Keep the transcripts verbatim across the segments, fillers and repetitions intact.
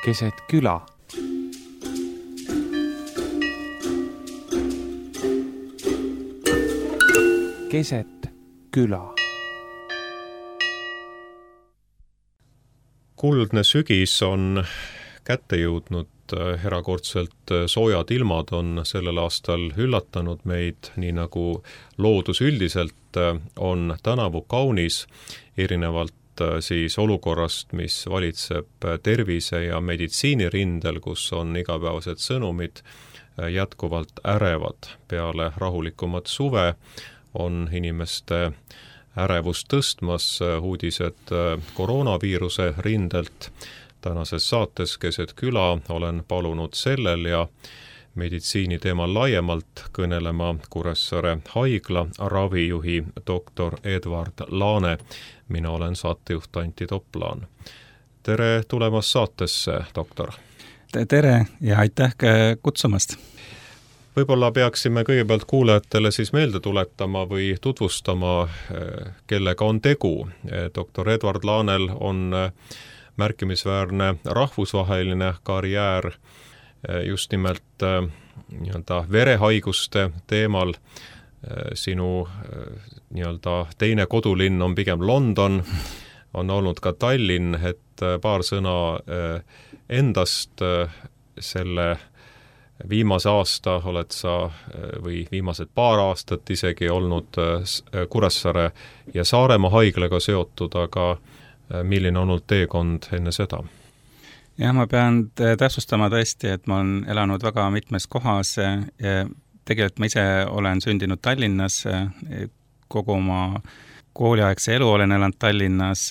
keset küla. Keset küla. Kuldne sügis on kätte jõudnud, erakordselt soojad ilmad on sellel aastal üllatanud meid, nii nagu loodus üldiselt on tänavu kaunis, erinevalt siis olukorrast, mis valitseb tervise ja meditsiinirindel, kus on igapäevased sõnumid jätkuvalt ärevad. Peale rahulikumat suve on inimeste ärevust tõstmas uudised koroonaviiruse rindelt. Tänases saates Keset küla olen palunud sellel ja meditsiini teemal laiemalt kõnelema Kuressaare haigla ravijuhi doktor Edward Laane. Mina olen saatejuht Antti Toplaan. Tere tulemast saatesse, doktor. Tere ja aitäh kutsumast. Võib-olla peaksime kõigepealt kuulajatele siis meelde tuletama või tutvustama, kellega on tegu. doktor Edward Laanel on märkimisväärne rahvusvaheline karjäär just nimelt nii-öelda verehaiguste teemal. Sinu nii-öelda teine kodulinn on pigem London, on olnud ka Tallinn, et paar sõna endast selle viimase aasta oled sa või viimased paar aastat isegi olnud Kuressaare ja Saaremaa haiglaga seotud, aga milline on olnud teekond enne seda? Jah, ma pean täpsustama tõesti, et ma olen elanud väga mitmes kohas. Tegelikult ma ise olen sündinud Tallinnas, kogu oma kooliaegse elu olen elanud Tallinnas,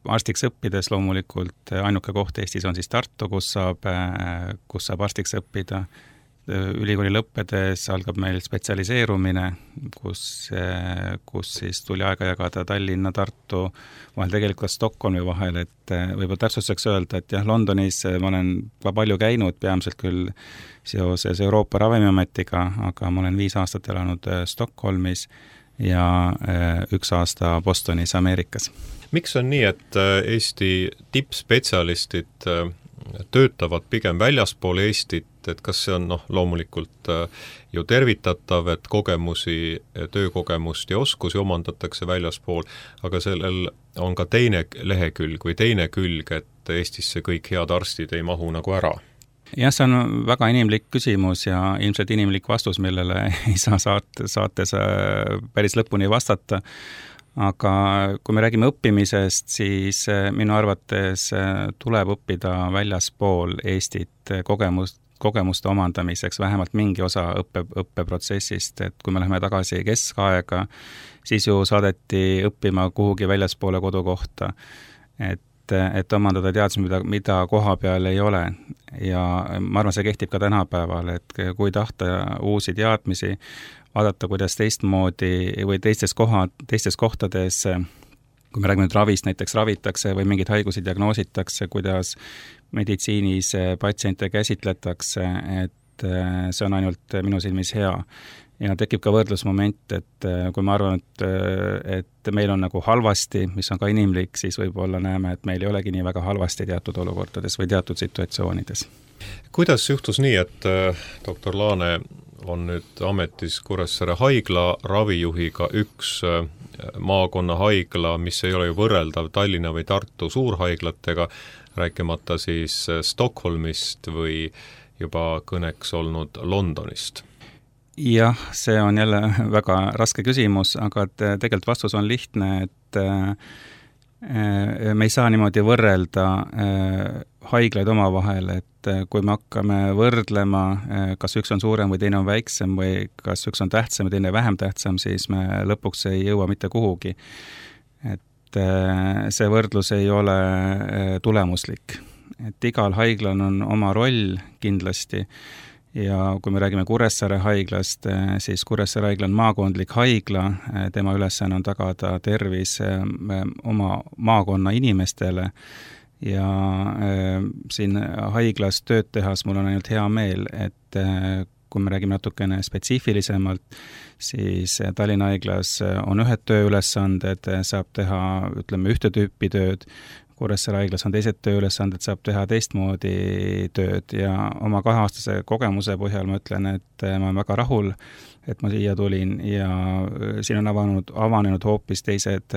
arstiks õppides loomulikult ainuke koht Eestis on siis Tartu, kus saab, kus saab arstiks õppida. Ülikooli lõppedes algab meil spetsialiseerumine, kus, kus siis tuli aega jagada Tallinna, Tartu vahel, tegelikult Stockholmi vahel, et võib-olla täpsustuseks öelda, et jah, Londonis ma olen ka palju käinud, peamiselt küll seoses Euroopa Ravimiametiga, aga ma olen viis aastat elanud Stockholmis ja üks aasta Bostonis, Ameerikas. Miks on nii, et Eesti tippspetsialistid töötavad pigem väljaspool Eestit, et kas see on noh, loomulikult ju tervitatav, et kogemusi, töökogemust ja oskusi omandatakse väljaspool, aga sellel on ka teine lehekülg või teine külg, et Eestisse kõik head arstid ei mahu nagu ära? Jah, see on väga inimlik küsimus ja ilmselt inimlik vastus, millele ei saa saate, saates päris lõpuni vastata. Aga kui me räägime õppimisest, siis minu arvates tuleb õppida väljaspool Eestit kogemust, kogemuste omandamiseks, vähemalt mingi osa õppe, õppeprotsessist, et kui me läheme tagasi keskaega, siis ju saadeti õppima kuhugi väljaspoole kodukohta, et, et omandada teadmisi, mida, mida koha peal ei ole. Ja ma arvan, see kehtib ka tänapäeval, et kui tahta uusi teadmisi, vaadata, kuidas teistmoodi või teistes, kohad, teistes kohtades, kui me räägime nüüd ravist, näiteks ravitakse või mingeid haigusi diagnoositakse, kuidas meditsiinis patsiente käsitletakse, et see on ainult minu silmis hea. Ja tekib ka võrdlusmoment, et kui ma arvan, et, et meil on nagu halvasti, mis on ka inimlik, siis võib-olla näeme, et meil ei olegi nii väga halvasti teatud olukordades või teatud situatsioonides. Kuidas juhtus nii, et doktor Laane on nüüd ametis Kuressaare haigla ravijuhiga, üks maakonna haigla, mis ei ole ju võrreldav Tallinna või Tartu suurhaiglatega, rääkimata siis Stockholmist või juba kõneks olnud Londonist? Jah, see on jälle väga raske küsimus, aga tegelikult vastus on lihtne, et me ei saa niimoodi võrrelda haiglaid omavahel, et kui me hakkame võrdlema, kas üks on suurem või teine on väiksem või kas üks on tähtsam ja teine vähem tähtsam, siis me lõpuks ei jõua mitte kuhugi. Et see võrdlus ei ole tulemuslik. Et igal haiglal on oma roll kindlasti ja kui me räägime Kuressaare haiglast, siis Kuressaare haigla on maakondlik haigla, tema ülesanne on tagada tervis oma maakonna inimestele ja äh, siin haiglas tööd tehas mul on ainult hea meel, et äh, kui me räägime natukene spetsiifilisemalt, siis Tallinna haiglas on ühed tööülesanded, saab teha, ütleme, ühte tüüpi tööd, Kuressaare haiglas on teised tööülesanded, saab teha teistmoodi tööd ja oma kaheaastase kogemuse põhjal ma ütlen, et ma olen väga rahul, et ma siia tulin ja siin on avanud, avanenud hoopis teised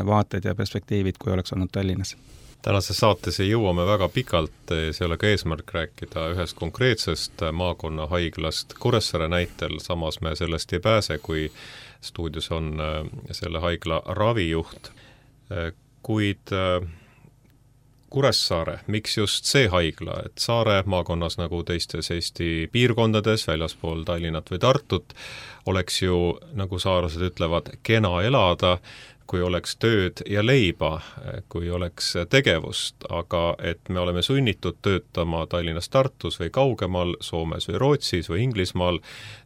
vaated ja perspektiivid, kui oleks olnud Tallinnas. Tänases saates ei jõuame väga pikalt, see ei ole ka eesmärk rääkida ühest konkreetsest maakonna haiglast Kuressaare näitel, samas me sellest ei pääse, kui stuudios on selle haigla ravijuht. Kuid Kuressaare, miks just see haigla, et Saare maakonnas nagu teistes Eesti piirkondades, väljaspool Tallinnat või Tartut, oleks ju, nagu saarlased ütlevad, kena elada, kui oleks tööd ja leiba, kui oleks tegevust, aga et me oleme sunnitud töötama Tallinnas, Tartus või kaugemal, Soomes või Rootsis või Inglismaal,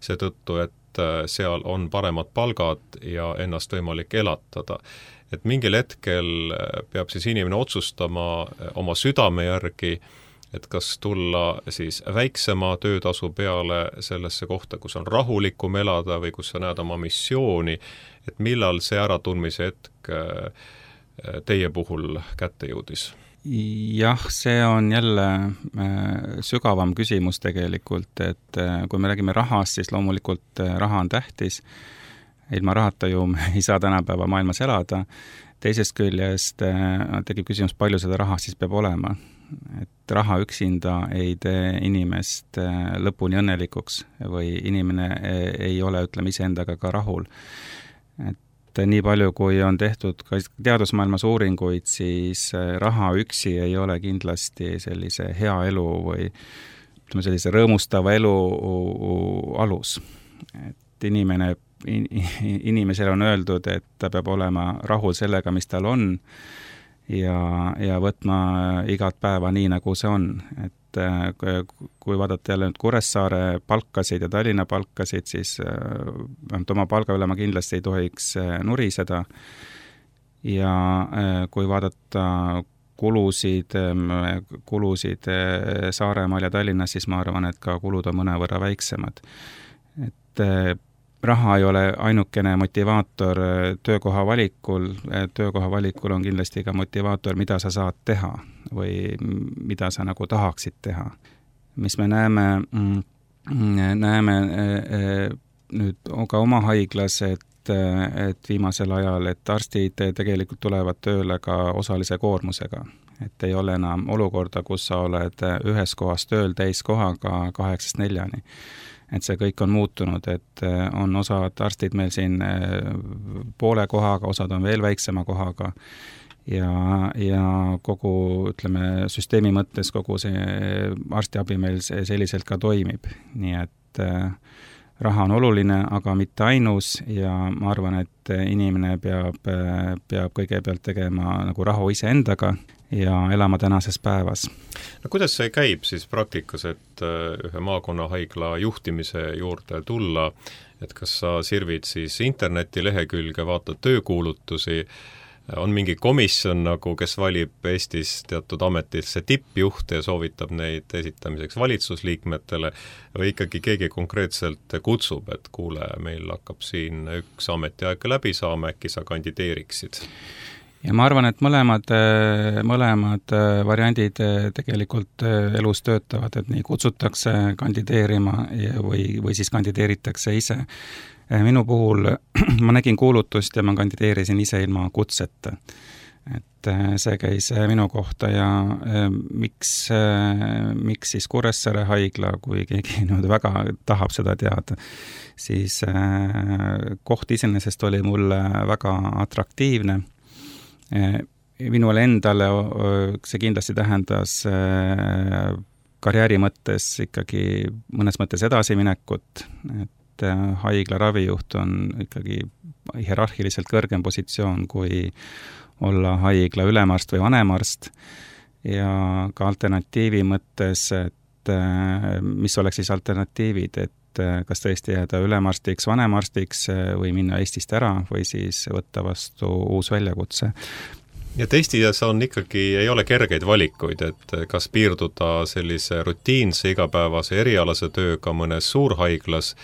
seetõttu, et seal on paremad palgad ja ennast võimalik elatada. Et mingil hetkel peab siis inimene otsustama oma südame järgi, et kas tulla siis väiksema töötasu peale sellesse kohta, kus on rahulikum elada või kus sa näed oma missiooni, et millal see äratundmise hetk teie puhul kätte jõudis? Jah, see on jälle sügavam küsimus tegelikult, et kui me räägime rahast, siis loomulikult raha on tähtis. Ilma rahata ju ei saa tänapäeva maailmas elada. Teisest küljest tekib küsimus, palju seda raha siis peab olema. Et raha üksinda ei tee inimest lõpuni õnnelikuks või inimene ei ole, ütleme, iseendaga ka rahul. Et nii palju, kui on tehtud ka teadusmaailmas uuringuid, siis raha üksi ei ole kindlasti sellise hea elu või ütleme, sellise rõõmustava elu alus. Et inimene inimesele on öeldud, et ta peab olema rahul sellega, mis tal on ja, ja võtma igat päeva nii, nagu see on. Et kui vaadata jälle nüüd Kuressaare palkasid ja Tallinna palkasid, siis oma palga üle ma kindlasti ei tohiks nuriseda. Ja kui vaadata kulusid, kulusid Saaremaal ja Tallinnas, siis ma arvan, et ka kulud on mõnevõrra väiksemad. Et raha ei ole ainukene motivaator töökoha valikul, töökoha valikul on kindlasti ka motivaator, mida sa saad teha või mida sa nagu tahaksid teha. Mis me näeme, näeme nüüd ka oma haiglas, et, et viimasel ajal, et arstid tegelikult tulevad tööle ka osalise koormusega. Et ei ole enam olukorda, kus sa oled ühes kohas tööl täiskohaga kaheksast neljani. Et see kõik on muutunud, et on osad arstid meil siin poole kohaga, osad on veel väiksema kohaga ja, ja kogu, ütleme, süsteemi mõttes kogu see arstiabi meil selliselt ka toimib. Nii et raha on oluline, aga mitte ainus ja ma arvan, et inimene peab, peab kõigepealt tegema nagu rahu ise endaga ja elama tänases päevas. No kuidas see käib siis praktikas, et ühe maakonnahaigla juhtimise juurde tulla, et kas sa sirvid siis interneti lehekülge, vaatad töökuulutusi, on mingi komisjon, nagu, kes valib Eestis teatud ametisse tippjuhte ja soovitab neid esitamiseks valitsusliikmetele või ikkagi keegi konkreetselt kutsub, et kuule, meil hakkab siin üks ametiaeg läbi saama, äkki sa kandideeriksid? Ja ma arvan, et mõlemad, mõlemad variandid tegelikult elus töötavad, et nii kutsutakse kandideerima või, või siis kandideeritakse ise. Minu puhul ma nägin kuulutust ja ma kandideerisin ise ilma kutseta. Et see käis minu kohta ja miks, miks siis Kuressaare haigla, kui keegi nüüd väga tahab seda teada, siis koht iseenesest oli mulle väga atraktiivne. Minule endale see kindlasti tähendas karjääri mõttes ikkagi mõnes mõttes edasiminekut, et haigla ravijuht on ikkagi hierarhiliselt kõrgem positsioon kui olla haigla ülemarst või vanemarst ja ka alternatiivi mõttes, et mis oleks siis alternatiivid, et kas tõesti jääda ülemarstiks, vanemarstiks või minna Eestist ära või siis võtta vastu uus väljakutse. Ja Eestis on ikkagi, ei ole kergeid valikuid, et kas piirduda sellise rutiinse igapäevase erialase tööga mõnes suurhaiglas,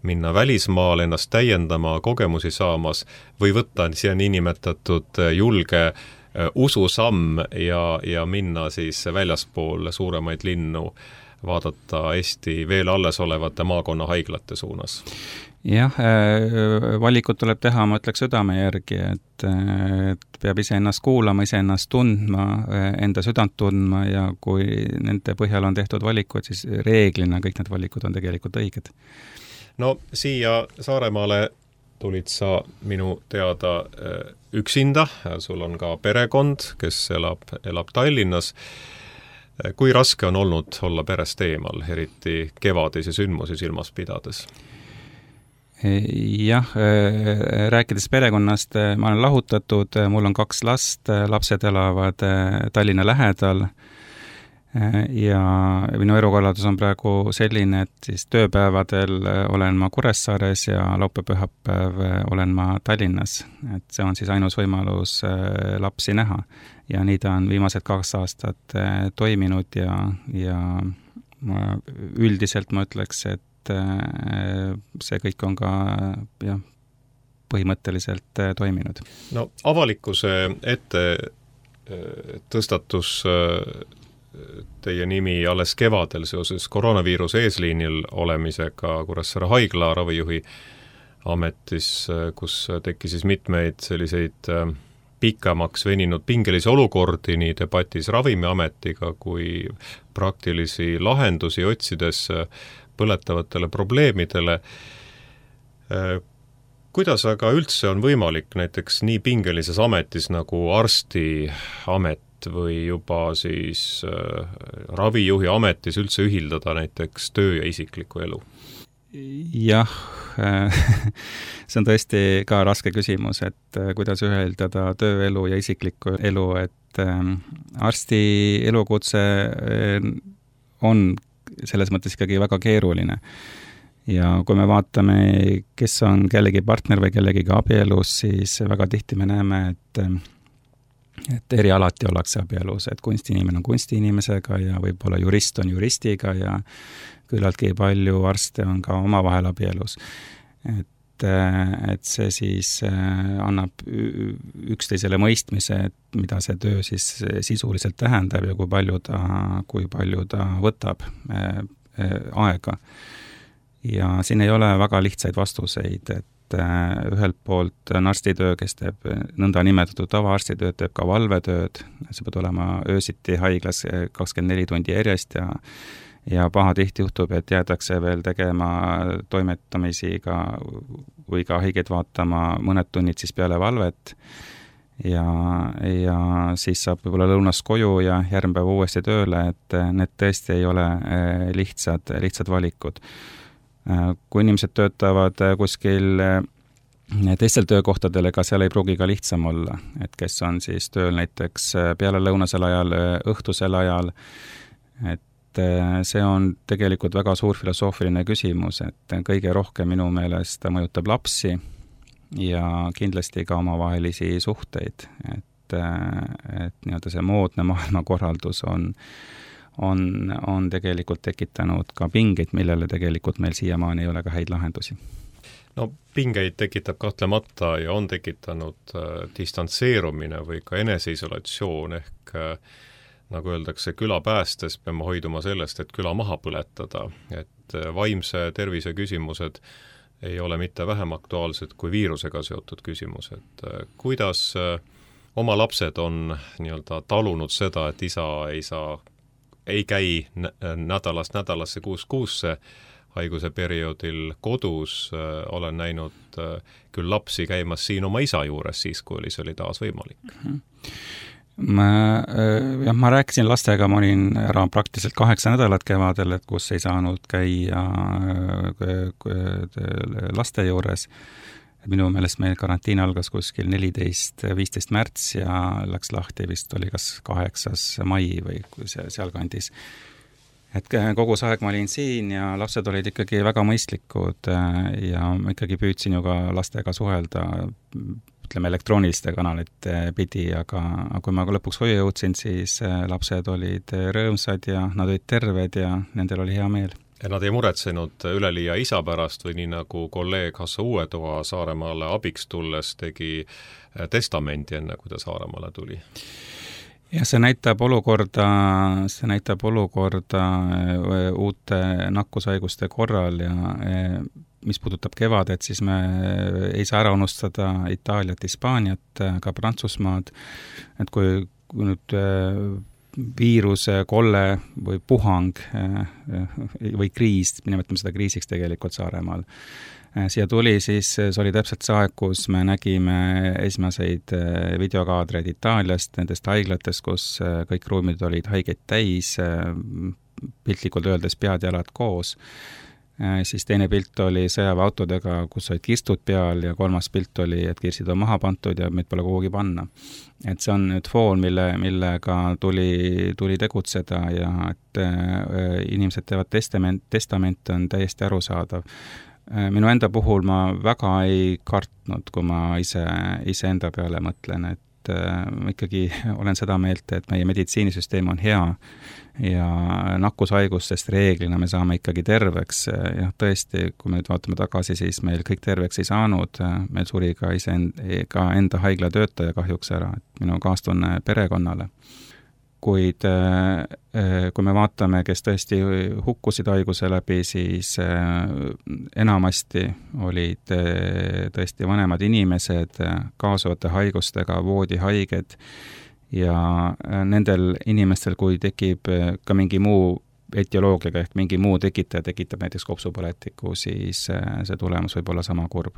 minna välismaal ennast täiendama, kogemusi saamas või võtta siia niinimetatud julge ususamm ja, ja minna siis väljaspool suuremaid linnu, vaadata Eesti veel alles olevate maakonnahaiglate suunas? Jah, valikut tuleb teha, ma ütleks südame järgi, et, et peab ise ennast kuulama, ise ennast tundma, enda südant tundma ja kui nende põhjal on tehtud valikud, siis reeglina kõik need valikud on tegelikult õiged. No siia Saaremaale tulid sa minu teada üksinda, sul on ka perekond, kes elab, elab Tallinnas. Kui raske on olnud olla perest eemal, eriti kevadisi sündmusi silmas pidades? Jah, rääkides perekonnast, ma olen lahutatud, mul on kaks last, lapsed elavad Tallinna lähedal ja minu elukorraldus on praegu selline, et siis tööpäevadel olen ma Kuressaares ja laupäev-pühapäev olen ma Tallinnas. Et see on siis ainus võimalus lapsi näha ja nii ta on viimased kaks aastat toiminud ja, ja üldiselt ma ütleks, et see kõik on ka jah, põhimõtteliselt toiminud. No avalikkuse ette tõstatus teie nimi alles kevadel seoses koroonaviiruse eesliinil olemisega Kuressaare haigla ravijuhi ametis, kus teki siis mitmeid selliseid pikemaks veninud pingelisi olukordi nii debatis Ravimiametiga kui praktilisi lahendusi otsides põletavatele probleemidele. Kuidas aga üldse on võimalik näiteks nii pingelises ametis nagu arstiamet või juba siis äh, ravijuhi ametis üldse ühildada näiteks töö ja isikliku elu? Jah, see on tõesti ka raske küsimus, et kuidas ühildada tööelu ja isiklikku elu, et arsti elukutse on selles mõttes ikkagi väga keeruline. Ja kui me vaatame, kes on kellegi partner või kellegi abielus, siis väga tihti me näeme, et et erialati ollakse abielus, et kunstiinimene on kunstiinimesega ja võib-olla jurist on juristiga ja küllaltki palju arste on ka omavahel abielus. Et, et see siis annab üksteisele mõistmise, et mida see töö siis sisuliselt tähendab ja kui palju ta, kui palju ta võtab aega. Ja siin ei ole väga lihtsaid vastuseid, et ühelt poolt on arstitöö, kes teeb nõnda nimetatud tavaarstitööd, teeb ka valvetööd, see peab olema öösiti haiglas kakskümmend neli tundi järjest ja, ja pahatihti juhtub, et jäädakse veel tegema toimetamisi ka, või ka haigeid vaatama mõned tunnid siis peale valvet ja, ja siis saab võib-olla lõunast koju ja järgmine päev uuesti tööle, et need tõesti ei ole lihtsad, lihtsad valikud. Kui inimesed töötavad kuskil teistel töökohtadel, ega seal ei pruugi ka lihtsam olla, et kes on siis tööl näiteks peale lõunasel ajal, õhtusel ajal, et see on tegelikult väga suur filosoofiline küsimus, et kõige rohkem minu meelest mõjutab lapsi ja kindlasti ka omavahelisi suhteid, et, et nii-öelda see moodne maailmakorraldus on On, on tegelikult tekitanud ka pingeid, millele tegelikult meil siiamaani ei ole ka häid lahendusi. No pingeid tekitab kahtlemata ja on tekitanud äh, distantseerumine või ka eneseisolatsioon ehk äh, nagu öeldakse, küla päästes peame hoiduma sellest, et küla maha põletada, et äh, vaimse tervise küsimused ei ole mitte vähem aktuaalsed kui viirusega seotud küsimused. Äh, kuidas äh, oma lapsed on nii-öelda talunud seda, et isa ei saa ei käi nädalast nädalasse kuus kuusse haiguse perioodil kodus, olen näinud küll lapsi käimas siin oma isa juures siis, kui oli, see oli taas võimalik. Ma, jah, ma rääkisin lastega, ma olin ära praktiliselt kaheksa nädalat kevadel, et kus ei saanud käia laste juures. Minu meelest meil karantiin algas kuskil neliteist viisteist märts ja läks lahti vist oli kas kaheksas mai või seal kandis. Et kogu see aeg ma olin siin ja lapsed olid ikkagi väga mõistlikud ja ma ikkagi püüdsin ju ka lastega suhelda, ütleme elektrooniliste kanalite pidi, aga kui ma lõpuks hoiu jõudsin, siis lapsed olid rõõmsad ja nad olid terved ja nendel oli hea meel. Ja nad ei muretsenud üleliia isa pärast või nii nagu kolleeg Hasso Uuetoa Saaremaale abiks tulles tegi testamendi enne, kui ta Saaremaale tuli? Ja see näitab olukorda, see näitab olukorda uute nakkushaiguste korral ja mis puudutab kevadet, siis me ei saa ära unustada Itaaliat, Hispaaniat, ka Prantsusmaad, et kui, kui nüüd viiruse, kolle või puhang või kriis, nimetame seda kriisiks tegelikult Saaremaal, siia tuli, siis see oli täpselt see aeg, kus me nägime esimseid videokaadreid Itaaliast, nendest haiglatest, kus kõik ruumid olid haigeid täis, piltlikult öeldes pead-jalad koos. Siis teine pilt oli sõjaväeautodega, kus olid kirstud peal ja kolmas pilt oli, et kirsid on maha pantud ja meid pole kuhugi panna. Et see on nüüd foon, mille, millega tuli, tuli tegutseda ja et inimesed teevad testament, testament on täiesti arusaadav. Minu enda puhul ma väga ei kartnud, kui ma ise, ise enda peale mõtlen, et ma ikkagi olen seda meelt, et meie meditsiinisüsteem on hea ja nakkushaigustest reeglina me saame ikkagi terveks. Ja tõesti, kui me nüüd vaatame tagasi, siis meil kõik terveks ei saanud, meil suri ka, ise, ka enda haiglatöötaja kahjuks ära, et minu kaastunne perekonnale. Kuid kui me vaatame, kes tõesti hukkusid haiguse läbi, siis enamasti olid tõesti vanemad inimesed, kaasuvate haigustega, voodihaiged ja nendel inimestel, kui tekib ka mingi muu etioloogiaga ehk mingi muu tekitaja tekitab näiteks kopsupõletiku, siis see tulemus võib olla sama kurb.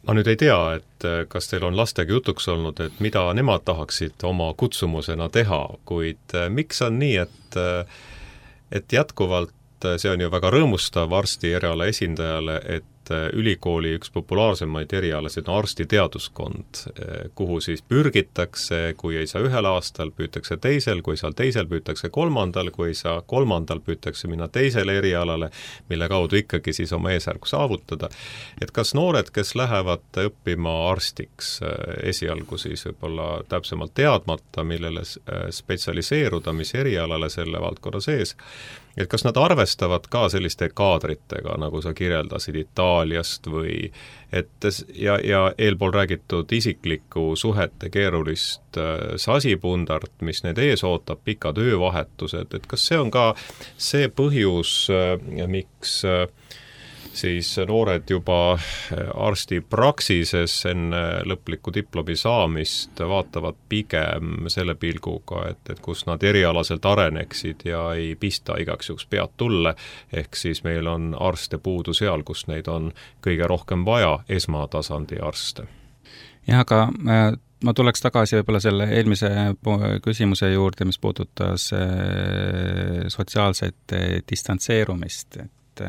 Ma nüüd ei tea, et kas teil on lastega jutuks olnud, et mida nemad tahaksid oma kutsumusena teha, kuid miks on nii, et, et jätkuvalt see on ju väga rõõmustav arsti eriala esindajale, et ülikooli üks populaarsemaid erialasid on arstiteaduskond, kuhu siis pürgitakse, kui ei saa ühel aastal, püütakse teisel, kui seal teisel püütakse kolmandal, kui ei saa kolmandal, püütakse minna teisele erialale, mille kaudu ikkagi siis oma eesärku saavutada. Et kas noored, kes lähevad õppima arstiks esialgu siis võib-olla täpsemalt teadmata, millele spetsialiseeruda, mis erialale selle valdkonna sees, et kas nad arvestavad ka selliste kaadritega, nagu sa kirjeldasid Itaaliast või et ja, ja eelpool räägitud isikliku suhete keerulist sasipundart, mis need ees ootab, pika töövahetused, et kas see on ka see põhjus, miks siis noored juba arsti praksises enne lõpliku diplomi saamist vaatavad pigem selle pilguga, et, et kus nad erialaselt areneksid ja ei pista igaks juhuks pead tulle, ehk siis meil on arste puudu seal, kus neid on kõige rohkem vaja, esmatasandi arste. Jah, aga ma tuleks tagasi võib-olla selle eelmise küsimuse juurde, mis puudutas sotsiaalset distantseerumist, et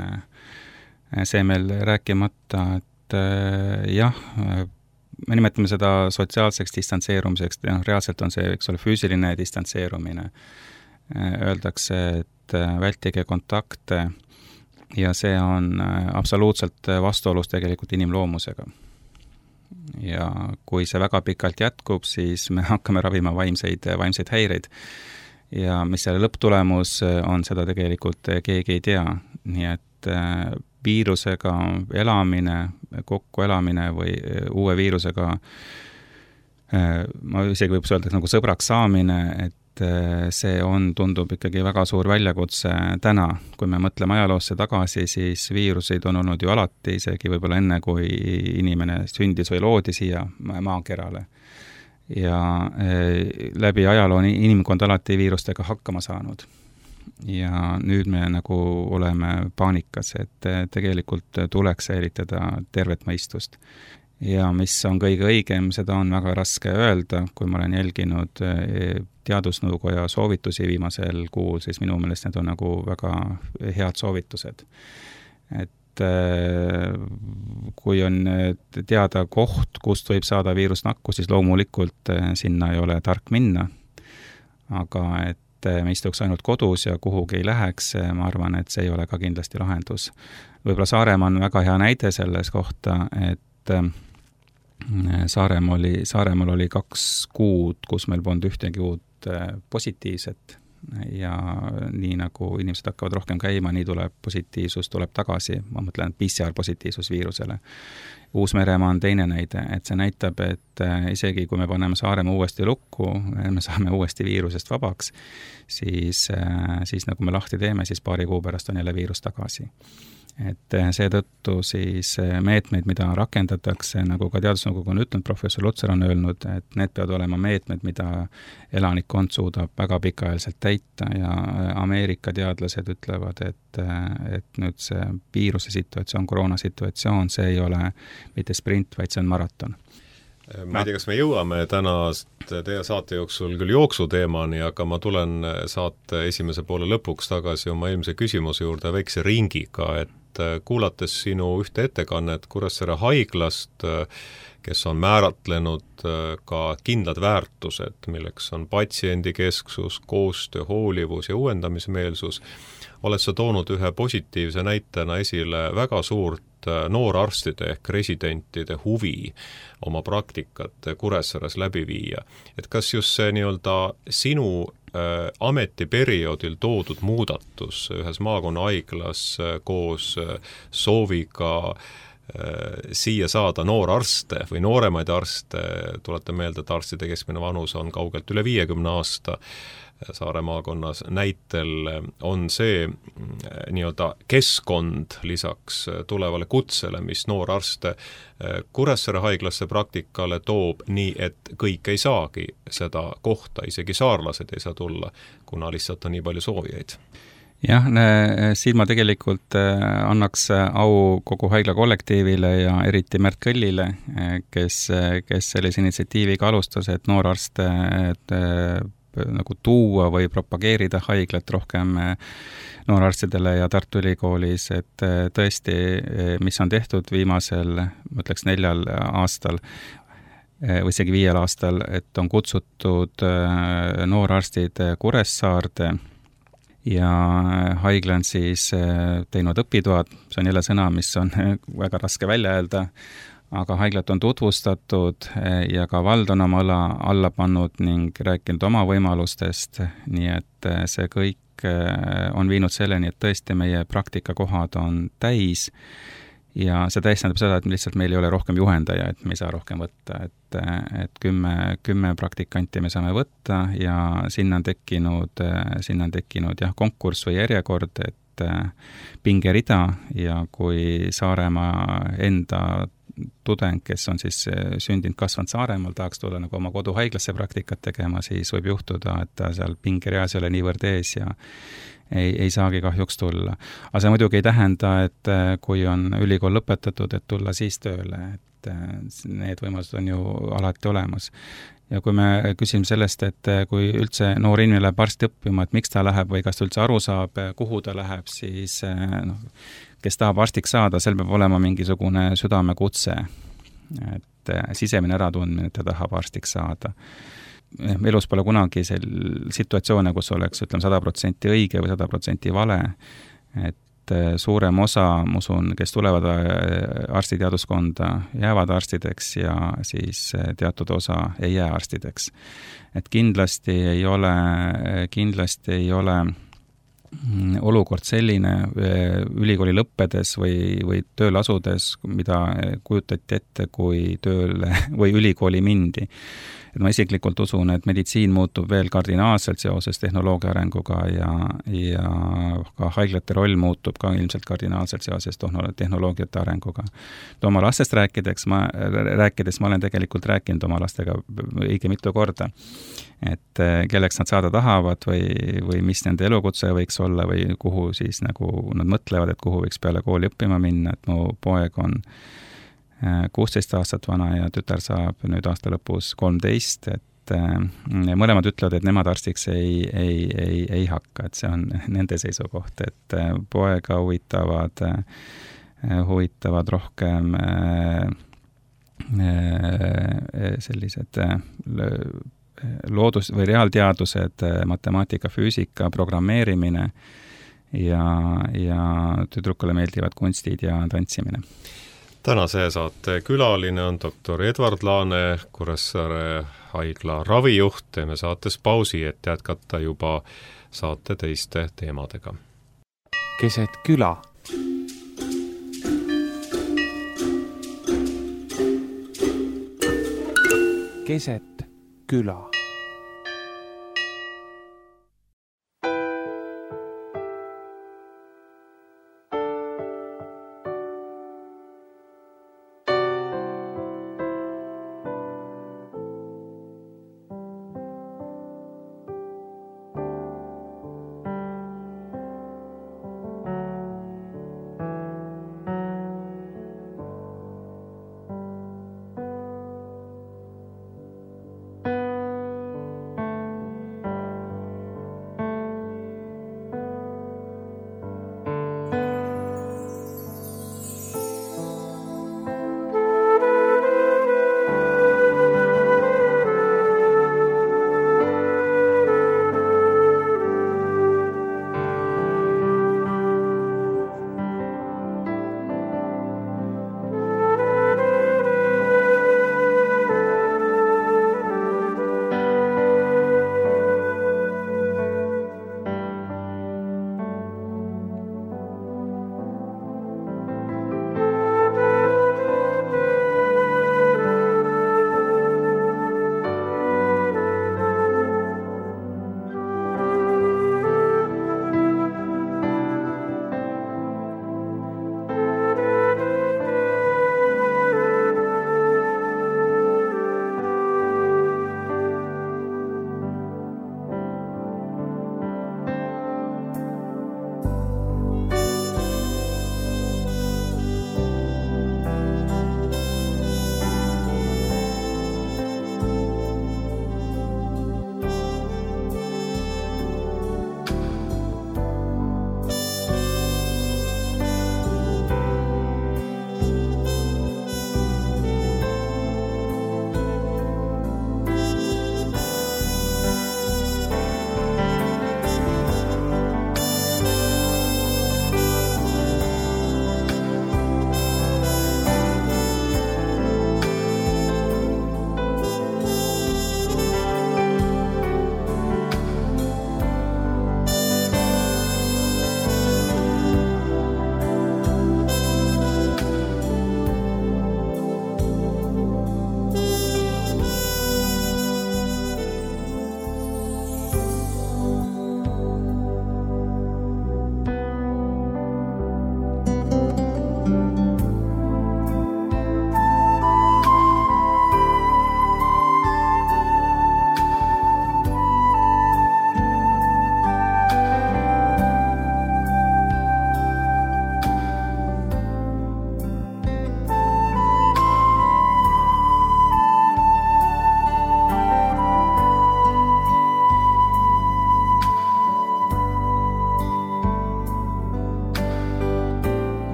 see meil rääkimata, et jah, me nimetame seda sotsiaalseks distantseerumiseks, ja reaalselt on see, eks ole, füüsiline distantseerumine. Öeldakse, et vältige kontakte ja see on absoluutselt vastuolus tegelikult inimloomusega. Ja kui see väga pikalt jätkub, siis me hakkame ravima vaimseid, vaimseid häireid. Ja mis selle lõpptulemus on, seda tegelikult keegi ei tea. Nii et viirusega elamine, kokku elamine või uue viirusega, ma isegi võib öelda nagu sõbraks saamine, et see on, tundub ikkagi väga suur väljakutse täna. Kui me mõtleme ajaloosse tagasi, siis viiruseid on olnud ju alati, isegi võib-olla enne, kui inimene sündis või loodi siia maakerale. Ja läbi ajaloo on inimkond alati viirustega hakkama saanud. Ja nüüd me nagu oleme paanikas, et tegelikult tuleks säilitada tervet mõistust. Ja mis on kõige õigem, seda on väga raske öelda, kui ma olen jälginud teadusnõukoja soovitusi viimasel kuul, siis minu meelest need on nagu väga head soovitused. Et kui on teada koht, kust võib saada viirusnakkus, siis loomulikult sinna ei ole tark minna, aga et me istuks ainult kodus ja kuhugi ei läheks, ma arvan, et see ei ole ka kindlasti lahendus. Võib-olla Saaremaa on väga hea näide selles kohta, et Saaremaal oli, Saaremaal oli kaks kuud, kus meil polnud ühtegi uut positiivset ja nii nagu inimesed hakkavad rohkem käima, nii tuleb positiivsus, tuleb tagasi, ma mõtlen P C R positiivsus viirusele. Uus-Meremaa on teine näide, et see näitab, et isegi kui me paneme Saaremaa uuesti lukku, me saame uuesti viirusest vabaks, siis, siis nagu me lahti teeme, siis paari kuu pärast on jälle viirus tagasi. Et seetõttu siis meetmeid, mida rakendatakse, nagu ka teadusnõukogu on ütlenud, professor Lutsar on öelnud, et need peavad olema meetmed, mida elanikkond suudab väga pikaajaliselt täita ja Ameerika teadlased ütlevad, et, et nüüd see viiruse situatsioon, koroona situatsioon, see ei ole mitte sprint, vaid see on maraton. Ma ei tea, kas me jõuame täna teie saate jooksul küll jooksuteemani, aga ma tulen saate esimese poole lõpuks tagasi oma eelmise küsimuse juurde väikse ringiga, et kuulates sinu ühte ettekannet Kuressaare haiglast, kes on määratlenud ka kindlad väärtused, milleks on patsiendikesksus, koostöö, hoolivus ja uuendamismeelsus, oled sa toonud ühe positiivse näitena esile väga suurt noorarstide ehk residentide huvi oma praktikat Kuressaares läbi viia. Et kas just see nii-öelda sinu äh, ametiperioodil toodud muudatus ühes maakonna haiglas äh, koos äh, sooviga äh, siia saada noorarste või nooremaid arste, tulete meelde, et arstide keskmine vanus on kaugelt üle viiekümne aasta, Saare maakonnas näitel on see nii-öelda keskkond lisaks tulevale kutsele, mis noorarste Kuressaare haiglasse praktikale toob nii, et kõik ei saagi seda kohta, isegi saarlased ei saa tulla, kuna lihtsalt on nii palju soovijaid. Jah, siin ma tegelikult annaks au kogu haigla kollektiivile ja eriti Märt Kõllile, kes, kes sellise initsiatiiviga alustas, et noorarste et nagu tuua või propageerida haiglat rohkem noorarstidele ja Tartu Ülikoolis, et tõesti, mis on tehtud viimasel, ma ütleks neljal aastal või isegi viiel aastal, et on kutsutud noorarstid Kuressaarde ja haigla on siis teinud õpitoad, see on jälle sõna, mis on väga raske välja öelda, aga haiglat on tutvustatud ja ka vald on oma õla alla pannud ning rääkinud oma võimalustest, nii et see kõik on viinud selleni, et tõesti meie praktikakohad on täis ja see täis tähendab seda, et lihtsalt meil ei ole rohkem juhendaja, et me ei saa rohkem võtta, et, et kümme, kümme praktikanti me saame võtta ja sinna on tekkinud, sinna on tekkinud jah, konkurss või järjekord, et pingerida ja kui Saaremaa enda tudeng, kes on siis sündinud, kasvanud Saaremaal, tahaks tulla nagu oma koduhaiglasse praktikat tegema, siis võib juhtuda, et ta seal pingereas ei ole niivõrd ees ja ei, ei saagi kahjuks tulla. Aga see muidugi ei tähenda, et kui on ülikool lõpetatud, et tulla siis tööle, et need võimalused on ju alati olemas. Ja kui me küsime sellest, et kui üldse noor inimene läheb arsti õppima, et miks ta läheb või kas ta üldse aru saab, kuhu ta läheb, siis noh, kes tahab arstiks saada, sel peab olema mingisugune südamekutse, et sisemine äratundmine, et ta tahab arstiks saada. Elus pole kunagi sel situatsioone, kus oleks, ütleme, sada protsenti õige või sada protsenti vale, et suurem osa, ma usun, kes tulevad arstiteaduskonda, jäävad arstideks ja siis teatud osa ei jää arstideks. Et kindlasti ei ole, kindlasti ei ole olukord selline ülikooli lõppedes või, või tööle asudes, mida kujutati ette, kui tööle või ülikooli mindi. Et ma isiklikult usun, et meditsiin muutub veel kardinaalselt seoses tehnoloogia arenguga ja, ja ka haiglate roll muutub ka ilmselt kardinaalselt seoses tehnoloogiate arenguga. Oma lastest rääkides ma, rääkides ma olen tegelikult rääkinud oma lastega õige mitu korda, et kelleks nad saada tahavad või, või mis nende elukutse võiks olla või kuhu siis nagu nad mõtlevad, et kuhu võiks peale kooli õppima minna, et mu poeg on kuusteist aastat vana ja tütar saab nüüd aasta lõpus kolmteist, et mõlemad ütlevad, et nemad arstiks ei, ei, ei, ei hakka, et see on nende seisukoht, et poega huvitavad, huvitavad rohkem sellised loodus- või reaalteadused, matemaatika, füüsika, programmeerimine ja, ja tüdrukule meeldivad kunstid ja tantsimine. Tänase saate külaline on doktor Edvard Laane, Kuressaare haigla ravijuht. Teeme saates pausi, et jätkata juba saate teiste teemadega. Keset küla. Keset küla.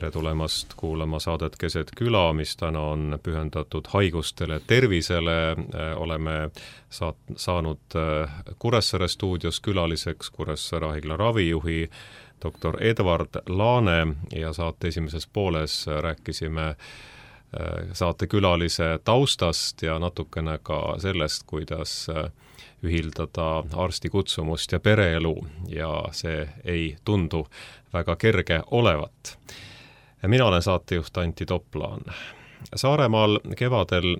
tere tulemast kuulama saadet Keset küla, mis täna on pühendatud haigustele, tervisele. Oleme saat, saanud Kuressaare stuudios külaliseks Kuressaare haigla ravijuhi doktor Edward Laane ja saate esimeses pooles rääkisime saatekülalise taustast ja natukene ka sellest, kuidas ühildada arsti kutsumust ja pereelu ja see ei tundu väga kerge olevat. Mina olen saatejuht Antti Toplaan. Saaremaal kevadel,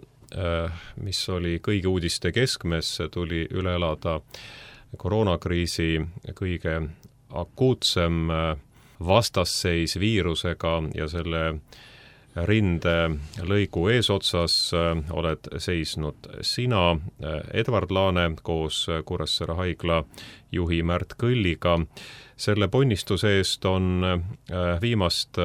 mis oli kõigi uudiste keskmes, tuli üle elada koroonakriisi kõige akuutsem vastasseis viirusega ja selle rinde lõigu eesotsas oled seisnud sina, Edward Laane, koos Kuressaare haigla juhi Märt Kõlliga. Selle ponnistuse eest on viimast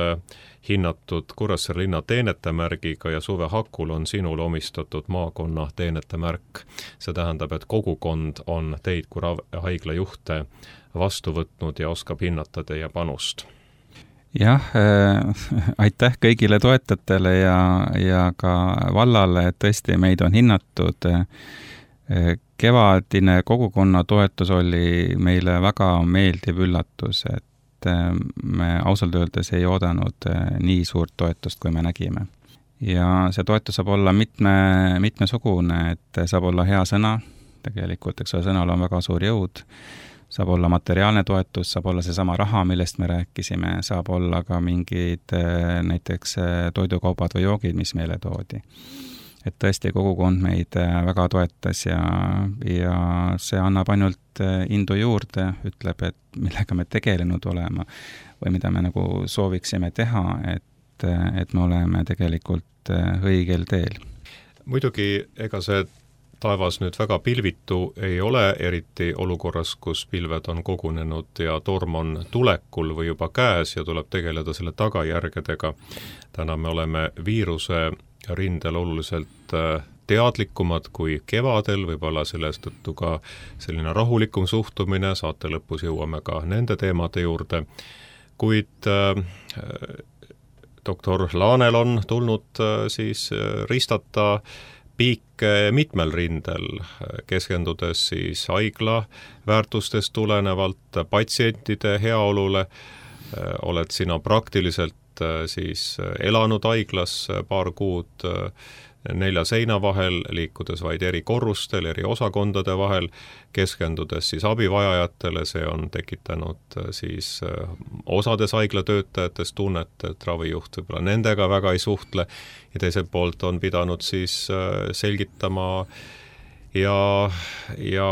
hinnatud Kuressaare linna teenetemärgiga ja Suve Hakul on sinul omistatud maakonna teenetemärk. See tähendab, et kogukond on teid kui haigla juhte vastu võtnud ja oskab hinnata teie panust. Jah, äh, aitäh kõigile toetajatele ja, ja ka vallale, et tõesti meid on hinnatud. Kevadine kogukonna toetus oli meile väga meeldiv üllatus, et me ausalt öeldes ei oodanud nii suurt toetust, kui me nägime. Ja see toetus saab olla mitme, mitmesugune, et saab olla hea sõna, tegelikult, eks ole, sõnal on väga suur jõud, saab olla materiaalne toetus, saab olla seesama raha, millest me rääkisime, saab olla ka mingid näiteks toidukaubad või joogid, mis meile toodi. Et tõesti kogukond meid väga toetas ja, ja see annab ainult indu juurde, ütleb, et millega me tegelenud olema või mida me nagu sooviksime teha, et, et me oleme tegelikult õigel teel. Muidugi, ega see taevas nüüd väga pilvitu ei ole, eriti olukorras, kus pilved on kogunenud ja torm on tulekul või juba käes ja tuleb tegeleda selle tagajärgedega. Täna me oleme viiruse rindel oluliselt teadlikumad kui kevadel, võib-olla sellest tõttu ka selline rahulikum suhtumine, saate lõpus jõuame ka nende teemade juurde, kuid äh, doktor Laanel on tulnud äh, siis ristata piik mitmel rindel, keskendudes siis haigla väärtustest tulenevalt patsientide heaolule, oled sina praktiliselt siis elanud haiglas paar kuud nelja seina vahel, liikudes vaid eri korrustel, eri osakondade vahel, keskendudes siis abivajajatele, see on tekitanud siis osades haiglatöötajates tunnet, et ravijuht võib-olla nendega väga ei suhtle ja teiselt poolt on pidanud siis selgitama ja, ja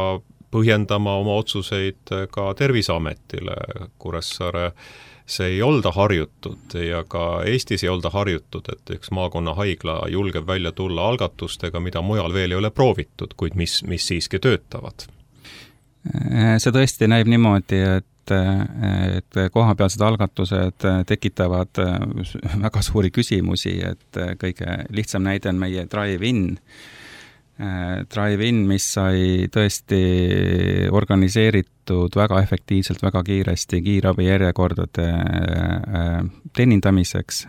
põhjendama oma otsuseid ka Terviseametile. Kuressaare see ei olda harjutud ja ka Eestis ei olda harjutud, et üks maakonna haigla julgeb välja tulla algatustega, mida mujal veel ei ole proovitud, kuid mis, mis siiski töötavad. See tõesti näib niimoodi, et, et kohapealsed algatused tekitavad väga suuri küsimusi, et kõige lihtsam näide on meie drive-in, Drive-in, mis sai tõesti organiseeritud väga efektiivselt, väga kiiresti kiirabi järjekordade teenindamiseks.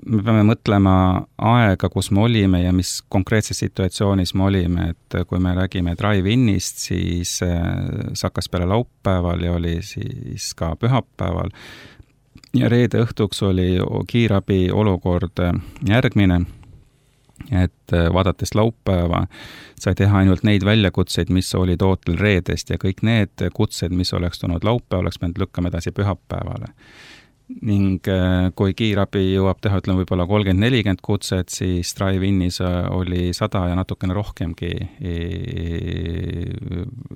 Me peame mõtlema aega, kus me olime ja mis konkreetses situatsioonis me olime, et kui me räägime Drive-inist, siis see hakkas peale laupäeval ja oli siis ka pühapäeval. Ja reede õhtuks oli kiirabi olukord järgmine, et vaadates laupäeva sai teha ainult neid väljakutseid, mis olid ootel reedest ja kõik need kutsed, mis oleks tulnud laupäeva, oleks pidanud lükkama edasi pühapäevale. Ning kui kiirabi jõuab teha, ütleme võib-olla kolmkümmend nelikümmend kutset, siis Drive-inis oli sada ja natukene rohkemgi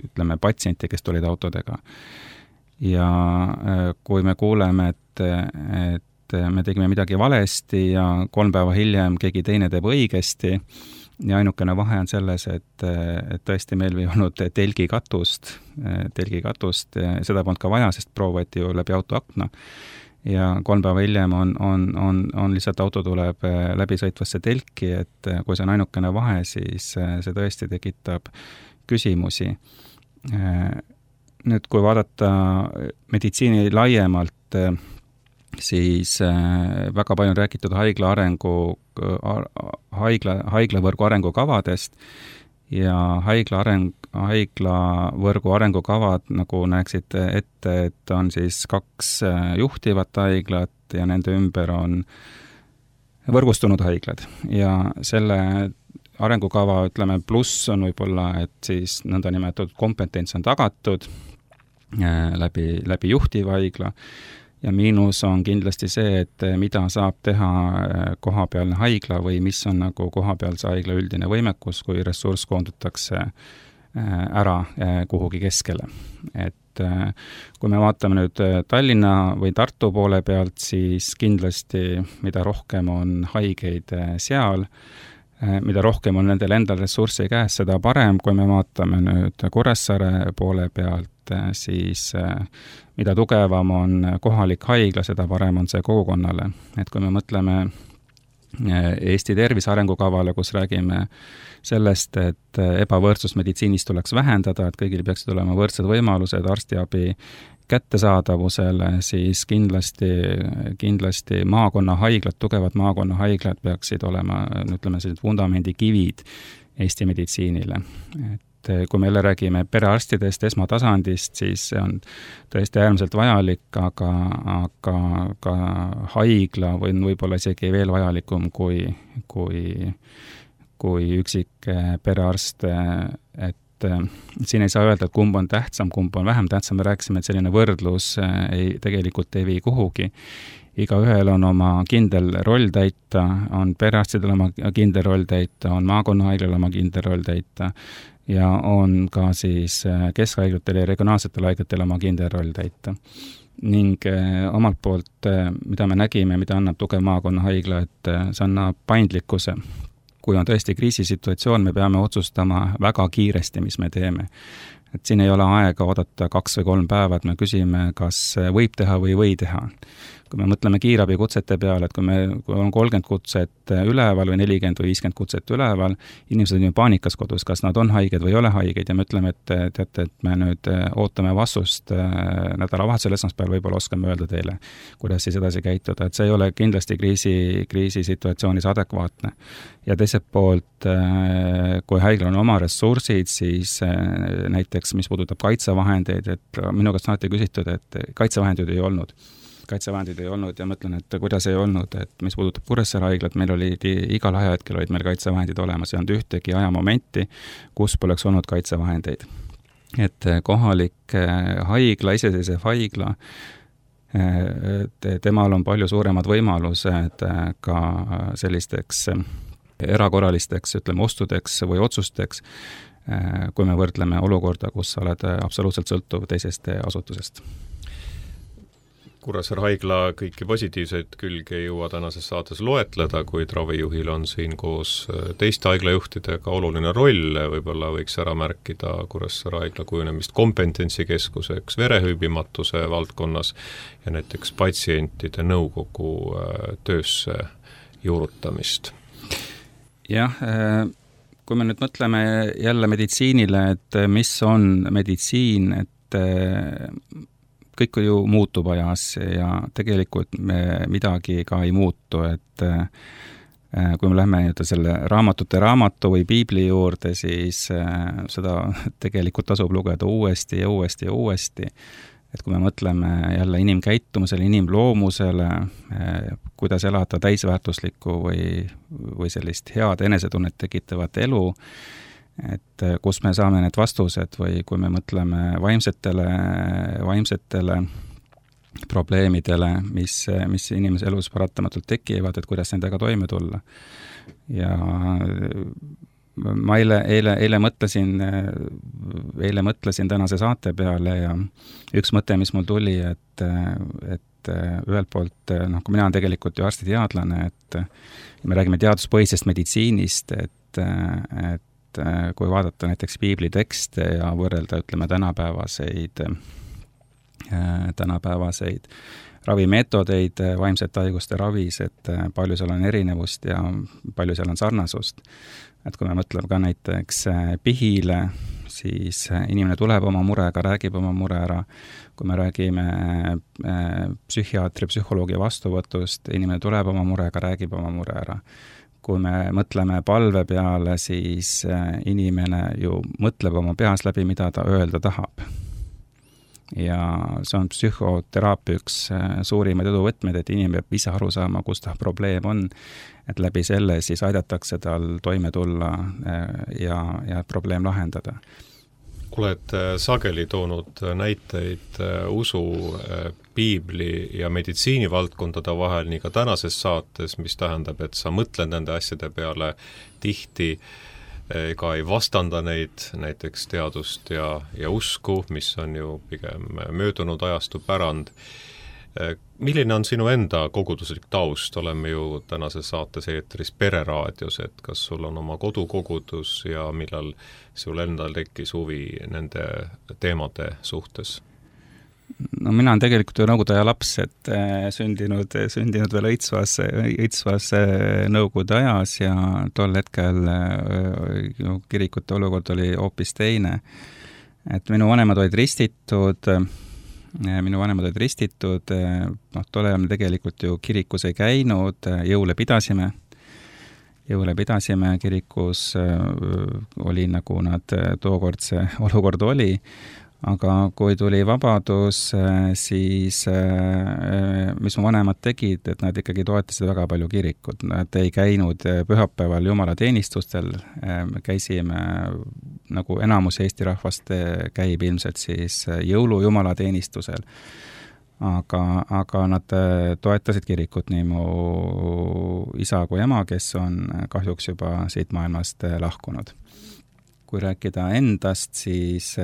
ütleme patsienti, kes tulid autodega. Ja kui me kuuleme, et, et me tegime midagi valesti ja kolm päeva hiljem keegi teine teeb õigesti ja ainukene vahe on selles, et, et tõesti meil ei olnud telgikatust, telgikatust, seda polnud ka vaja, sest proov võeti ju läbi auto akna ja kolm päeva hiljem on, on, on, on lihtsalt auto tuleb läbi sõitvasse telki, et kui see on ainukene vahe, siis see tõesti tekitab küsimusi. Nüüd, kui vaadata meditsiini laiemalt, siis väga palju on räägitud haigla arengu, haigla, haiglavõrgu arengukavadest ja haigla areng, haiglavõrgu arengukavad, nagu näeksid ette, et on siis kaks juhtivat haiglat ja nende ümber on võrgustunud haiglad. Ja selle arengukava, ütleme, pluss on võib-olla, et siis nõndanimetatud kompetents on tagatud läbi, läbi juhtiva haigla, ja miinus on kindlasti see, et mida saab teha kohapealne haigla või mis on nagu kohapealse haigla üldine võimekus, kui ressurss koondatakse ära kuhugi keskele. Et kui me vaatame nüüd Tallinna või Tartu poole pealt, siis kindlasti mida rohkem on haigeid seal, mida rohkem on nendel endal ressurssi käes, seda parem. Kui me vaatame nüüd Kuressaare poole pealt, siis mida tugevam on kohalik haigla, seda parem on see kogukonnale. Et kui me mõtleme Eesti tervise arengukavale, kus räägime sellest, et ebavõrdsus meditsiinis tuleks vähendada, et kõigil peaksid olema võrdsed võimalused arstiabi kättesaadavusele, siis kindlasti, kindlasti maakonnahaiglad, tugevad maakonnahaiglad peaksid olema, ütleme, sellised vundamendikivid Eesti meditsiinile. Et kui me jälle räägime perearstidest, esmatasandist, siis see on tõesti äärmiselt vajalik, aga, aga ka haigla või võib-olla isegi veel vajalikum kui, kui, kui üksik perearst, et siin ei saa öelda, et kumb on tähtsam, kumb on vähem tähtsam, me rääkisime, et selline võrdlus ei, tegelikult ei vii kuhugi. Igaühel on oma kindel roll täita, on perearstidel oma kindel roll täita, on maakonnahaiglal oma kindel roll täita ja on ka siis keskhaiglatel ja regionaalsetel haiglatel oma kindel roll täita. Ning omalt poolt, mida me nägime, mida annab tugev maakonnahaigla, et see annab paindlikkuse. Kui on tõesti kriisisituatsioon, me peame otsustama väga kiiresti, mis me teeme. Et siin ei ole aega oodata kaks või kolm päeva, et me küsime, kas võib teha või või teha. Kui me mõtleme kiirabi kutsete peale, et kui me kui on kolmkümmend kutset üleval või nelikümmend või viiskümmend kutset üleval, inimesed on ju paanikas kodus, kas nad on haiged või ei ole haiged ja me ütleme, et teate, et me nüüd ootame vastust nädalavahetusel esmaspäeval, võib-olla oskame öelda teile, kuidas siis edasi käituda, et see ei ole kindlasti kriisi, kriisisituatsioonis adekvaatne. Ja teiselt poolt, kui haiglal on oma ressursid, siis näiteks, mis puudutab kaitsevahendeid, et minu käest on alati küsitud, et kaitsevahendeid ei olnud. kaitsevahendid ei olnud ja mõtlen, et kuidas ei olnud, et mis puudutab Kuressaare haiglat, meil oli igal ajahetkel olid meil kaitsevahendid olemas, ei olnud ühtegi ajamomenti, kus poleks olnud kaitsevahendeid. Et kohalik haigla, iseseisev haigla, temal on palju suuremad võimalused ka sellisteks erakorralisteks, ütleme, ostudeks või otsusteks, kui me võrdleme olukorda, kus sa oled absoluutselt sõltuv teisest asutusest. Kuressaare haigla kõiki positiivseid külge ei jõua tänases saates loetleda, kuid ravijuhil on siin koos teiste haiglajuhtidega oluline roll, võib-olla võiks ära märkida Kuressaare haigla kujunemist kompetentsikeskuseks verehüübimatuse valdkonnas ja näiteks patsientide nõukogu töösse juurutamist. Jah, kui me nüüd mõtleme jälle meditsiinile, et mis on meditsiin, et kõik ju muutub ajas ja tegelikult me midagi ka ei muutu, et kui me lähme selle raamatute raamatu või piibli juurde, siis seda tegelikult tasub lugeda uuesti ja uuesti ja uuesti. Et kui me mõtleme jälle inimkäitumusele, inimloomusele, kuidas elada täisväärtuslikku või, või sellist head enesetunnet tekitavat elu, et kus me saame need vastused või kui me mõtleme vaimsetele, vaimsetele probleemidele, mis, mis inimese elus paratamatult tekivad, et kuidas nendega toime tulla. Ja ma eile, eile, eile mõtlesin, eile mõtlesin tänase saate peale ja üks mõte, mis mul tuli, et, et ühelt poolt, noh, kui mina olen tegelikult ju arstiteadlane, et me räägime teaduspõhisest meditsiinist, et, et kui vaadata näiteks piibli tekste ja võrrelda, ütleme, tänapäevaseid, tänapäevaseid ravimeetodeid vaimsete haiguste ravis, et palju seal on erinevust ja palju seal on sarnasust. Et kui me mõtleme ka näiteks pihile, siis inimene tuleb oma murega, räägib oma mure ära. Kui me räägime psühhiaatri, psühholoogi vastuvõtust, inimene tuleb oma murega, räägib oma mure ära. kui me mõtleme palve peale, siis inimene ju mõtleb oma peas läbi, mida ta öelda tahab. Ja see on psühhoteraapia üks suurimaid eduvõtmeid, et inimene peab ise aru saama, kus ta probleem on, et läbi selle siis aidatakse tal toime tulla ja, ja probleem lahendada. Oled sageli toonud näiteid usu, piibli ja meditsiinivaldkondade vahel nii ka tänases saates, mis tähendab, et sa mõtled nende asjade peale tihti ega ei vastanda neid, näiteks teadust ja, ja usku, mis on ju pigem möödunud ajastu pärand. Milline on sinu enda koguduslik taust? Oleme ju tänases saates eetris Pereraadios, et kas sul on oma kodukogudus ja millal sul endal tekkis huvi nende teemade suhtes? No mina olen tegelikult ju Nõukogude aja laps, et sündinud, sündinud veel õitsvas, õitsvas Nõukogude ajas ja tol hetkel kirikute olukord oli hoopis teine. Et minu vanemad olid ristitud, minu vanemad olid ristitud, noh, tol ajal me tegelikult ju kirikus ei käinud, jõule pidasime, jõule pidasime, kirikus oli nagu nad tookord see olukord oli, aga kui tuli vabadus, siis mis mu vanemad tegid, et nad ikkagi toetasid väga palju kirikut. Nad ei käinud pühapäeval jumalateenistustel, me käisime, nagu enamus Eesti rahvast käib ilmselt siis jõulu jumalateenistusel. Aga, aga nad toetasid kirikut, nii mu isa kui ema, kes on kahjuks juba siit maailmast lahkunud. Kui rääkida endast, siis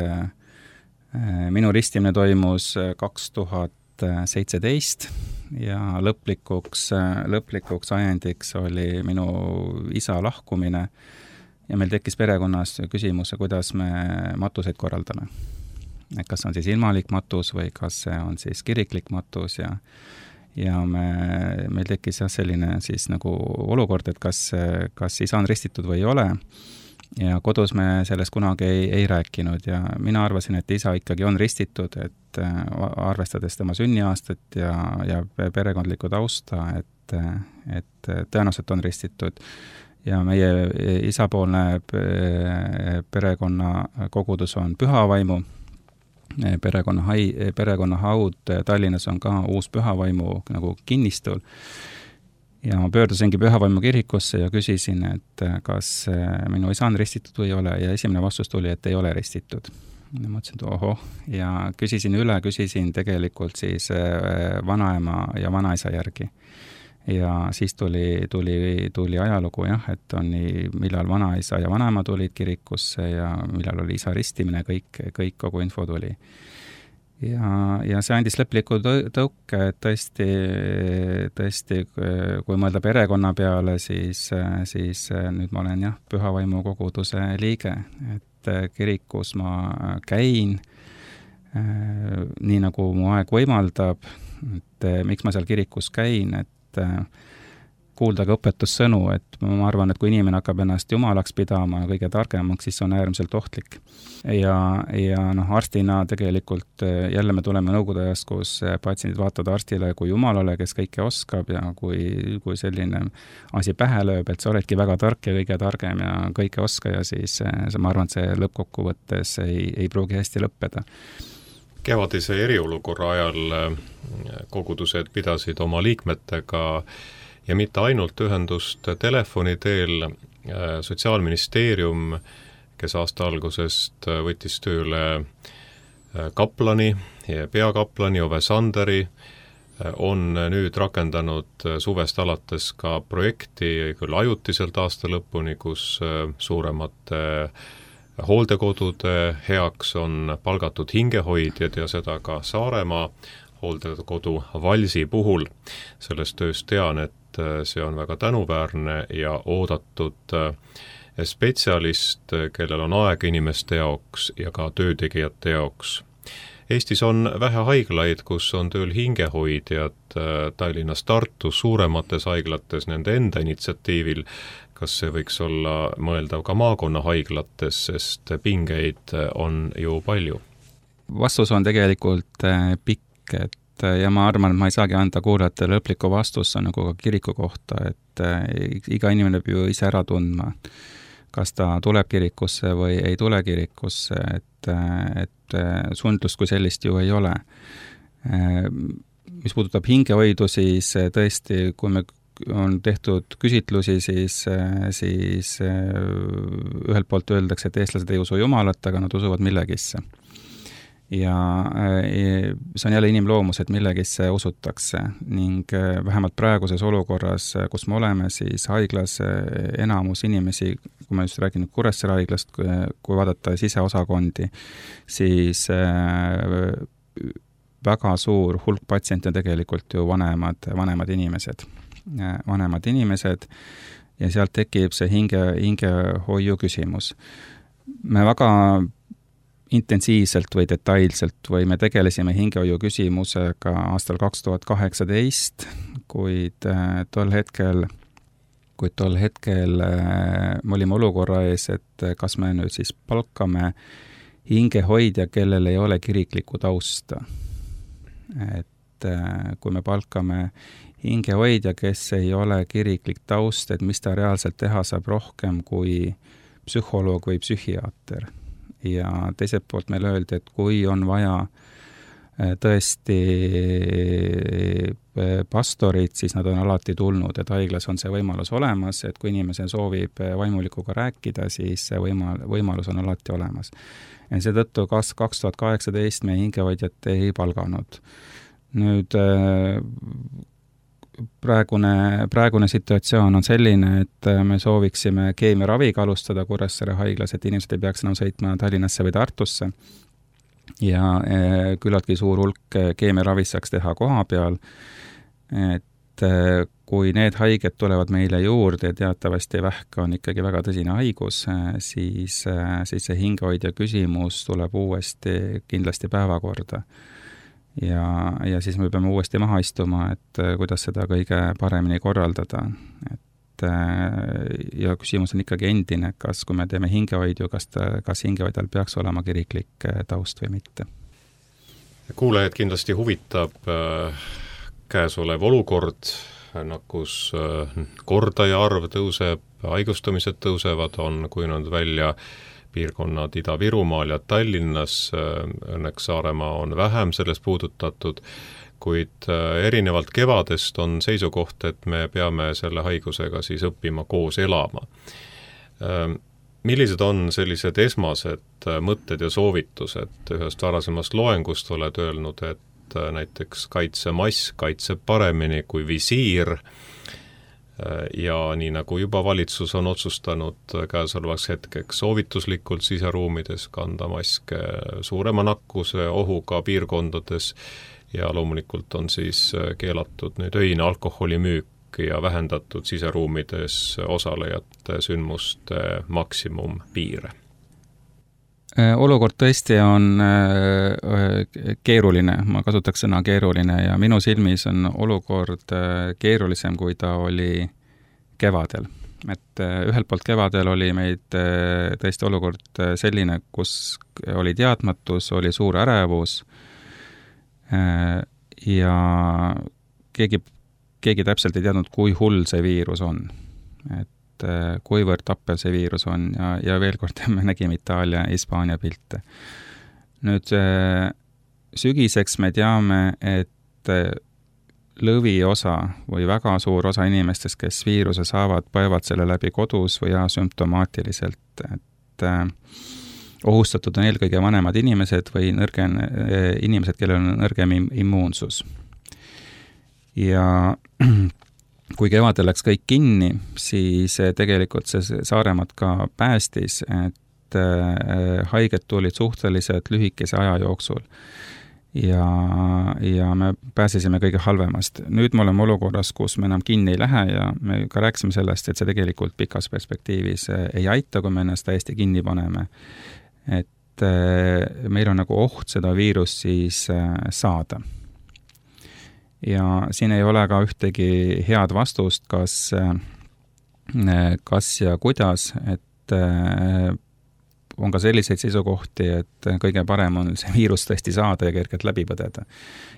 minu ristimine toimus kaks tuhat seitseteist ja lõplikuks, lõplikuks ajendiks oli minu isa lahkumine ja meil tekkis perekonnas küsimus, kuidas me matuseid korraldame. Kas on siis ilmalik matus või kas see on siis kiriklik matus ja, ja me, meil tekkis jah selline siis nagu olukord, et kas, kas isa on ristitud või ei ole. Ja kodus me sellest kunagi ei, ei rääkinud ja mina arvasin, et isa ikkagi on ristitud, et arvestades tema sünniaastat ja, ja perekondlikku tausta, et, et tõenäoliselt on ristitud. Ja meie isapoolne perekonna kogudus on Pühavaimu, perekonna, hai, perekonna haud Tallinnas on ka uus Pühavaimu nagu kinnistul. Ja ma pöördusingi Pühavaimu kirikusse ja küsisin, et kas minu isa on ristitud või ei ole ja esimene vastus tuli, et ei ole ristitud. Ja mõtlesin, et oho, ja küsisin üle, küsisin tegelikult siis vanaema ja vanaisa järgi. Ja siis tuli, tuli, tuli ajalugu jah, et on nii, millal vanaisa ja vanaema tulid kirikusse ja millal oli isa ristimine, kõik, kõik kogu info tuli. Ja, ja see andis lõpliku tõuke, et tõesti, tõesti, kui mõelda perekonna peale, siis, siis nüüd ma olen jah, Pühavaimu koguduse liige, et kirikus ma käin, nii nagu mu aeg võimaldab, et miks ma seal kirikus käin, et kuulda ka õpetussõnu, et ma arvan, et kui inimene hakkab ennast jumalaks pidama kõige targemaks, siis on äärmiselt ohtlik. Ja, ja noh, arstina tegelikult jälle me tuleme Nõukogude ajast, kus patsiendid vaatavad arstile kui jumalale, kes kõike oskab ja kui, kui selline asi pähe lööb, et sa oledki väga tark ja kõige targem ja kõike oskaja, siis ma arvan, et see lõppkokkuvõttes ei, ei pruugi hästi lõppeda. Kevadise eriolukorra ajal kogudused pidasid oma liikmetega ja mitte ainult ühendust telefoni teel. Sotsiaalministeerium, kes aasta algusest võttis tööle kaplani ja peakaplani Ove Sanderi, on nüüd rakendanud suvest alates ka projekti küll ajutiselt aasta lõpuni, kus suuremate hooldekodude heaks on palgatud hingehoidjad ja seda ka Saaremaa hooldekodu Valsi puhul. Sellest tööst tean, et see on väga tänuväärne ja oodatud spetsialist, kellel on aeg inimeste jaoks ja ka töötegijate jaoks. Eestis on vähe haiglaid, kus on tööl hingehoidjad, Tallinnas, Tartus, suuremates haiglates nende enda initsiatiivil. Kas see võiks olla mõeldav ka maakonna haiglates, sest pingeid on ju palju? Vastus on tegelikult pikk, et ja ma arvan, et ma ei saagi anda kuulajatele lõplikku vastust, on nagu ka kiriku kohta, et iga inimene peab ju ise ära tundma, kas ta tuleb kirikusse või ei tule kirikusse, et, et sundlust kui sellist ju ei ole. Mis puudutab hingehoidu, siis tõesti, kui me on tehtud küsitlusi, siis, siis ühelt poolt öeldakse, et eestlased ei usu jumalat, aga nad usuvad millegisse. Ja see on jälle inimloomus, et millegisse usutakse ning vähemalt praeguses olukorras, kus me oleme, siis haiglas enamus inimesi, kui ma just räägin Kuressaare haiglast, kui vaadata siseosakondi, siis väga suur hulk patsiente tegelikult ju vanemad, vanemad inimesed. vanemad inimesed ja sealt tekib see hinge, hingehoiu küsimus. Me väga intensiivselt või detailselt või me tegelesime hingehoiu küsimusega aastal kaks tuhat kaheksateist, kuid tol hetkel, kuid tol hetkel me olime olukorra ees, et kas me nüüd siis palkame hingehoidja, kellel ei ole kiriklikku tausta. Et kui me palkame hingehoidja, kes ei ole kiriklik taust, et mis ta reaalselt teha saab rohkem kui psühholoog või psühhiaater. Ja teiselt poolt meile öeldi, et kui on vaja tõesti pastorid, siis nad on alati tulnud, et haiglas on see võimalus olemas, et kui inimese soovib vaimulikuga rääkida, siis see võimal, võimalus on alati olemas. Ja seetõttu kas kaks tuhat kaheksateist me hingehoidjat ei palganud. Nüüd praegune, praegune situatsioon on selline, et me sooviksime keemiaraviga alustada Kuressaare haiglas, et inimesed ei peaks enam sõitma Tallinnasse või Tartusse. Ja küllaltki suur hulk keemiaravis saaks teha koha peal, et kui need haiged tulevad meile juurde, teatavasti vähk on ikkagi väga tõsine haigus, siis, siis see hingehoidja küsimus tuleb uuesti kindlasti päevakorda. Ja, ja siis me peame uuesti maha istuma, et kuidas seda kõige paremini korraldada. Et, ja küsimus on ikkagi endine, kas kui me teeme hingehoidju, kas, ta, kas hingehoidjal peaks olema kiriklik taust või mitte. Kuulajad kindlasti huvitab äh, käesolev olukord, nakkus äh, kordaja arv tõuseb, haigustamised tõusevad, on kujunenud välja piirkonnad Ida-Virumaal ja Tallinnas, õnneks Saaremaa on vähem sellest puudutatud, kuid erinevalt kevadest on seisukoht, et me peame selle haigusega siis õppima koos elama. Millised on sellised esmased mõtted ja soovitused? Ühest varasemast loengust oled öelnud, et näiteks kaitsemask kaitseb paremini kui visiir, ja nii nagu juba valitsus on otsustanud käesolevaks hetkeks soovituslikult siseruumides kanda maske suurema nakkuse ohuga piirkondades ja loomulikult on siis keelatud nüüd öine alkoholimüük ja vähendatud siseruumides osalejate sündmuste maksimumpiire. Olukord tõesti on keeruline, ma kasutaks sõna keeruline ja minu silmis on olukord keerulisem, kui ta oli kevadel. Et ühelt poolt kevadel oli meid tõesti olukord selline, kus oli teadmatus, oli suur ärevus ja keegi, keegi täpselt ei teadnud, kui hull see viirus on. Et kuivõrd tappev see viirus on ja, ja veel kord me nägime Itaalia ja Hispaania pilte. Nüüd sügiseks me teame, et lõviosa või väga suur osa inimestest, kes viiruse saavad, põevad selle läbi kodus või asümptomaatiliselt, et ohustatud on eelkõige vanemad inimesed või nõrgen, inimesed, kellel on nõrgem immuunsus. Ja kui kevadel läks kõik kinni, siis tegelikult see Saaremaad ka päästis, et haiged tulid suhteliselt lühikese aja jooksul ja, ja me pääsesime kõige halvemast. Nüüd me oleme olukorras, kus me enam kinni ei lähe ja me ka rääkisime sellest, et see tegelikult pikas perspektiivis ei aita, kui me ennast täiesti kinni paneme. Et meil on nagu oht seda viirust siis saada. Ja siin ei ole ka ühtegi head vastust, kas, kas ja kuidas, et on ka selliseid seisukohti, et kõige parem on see viirus tõesti saada ja kergelt läbi põdeda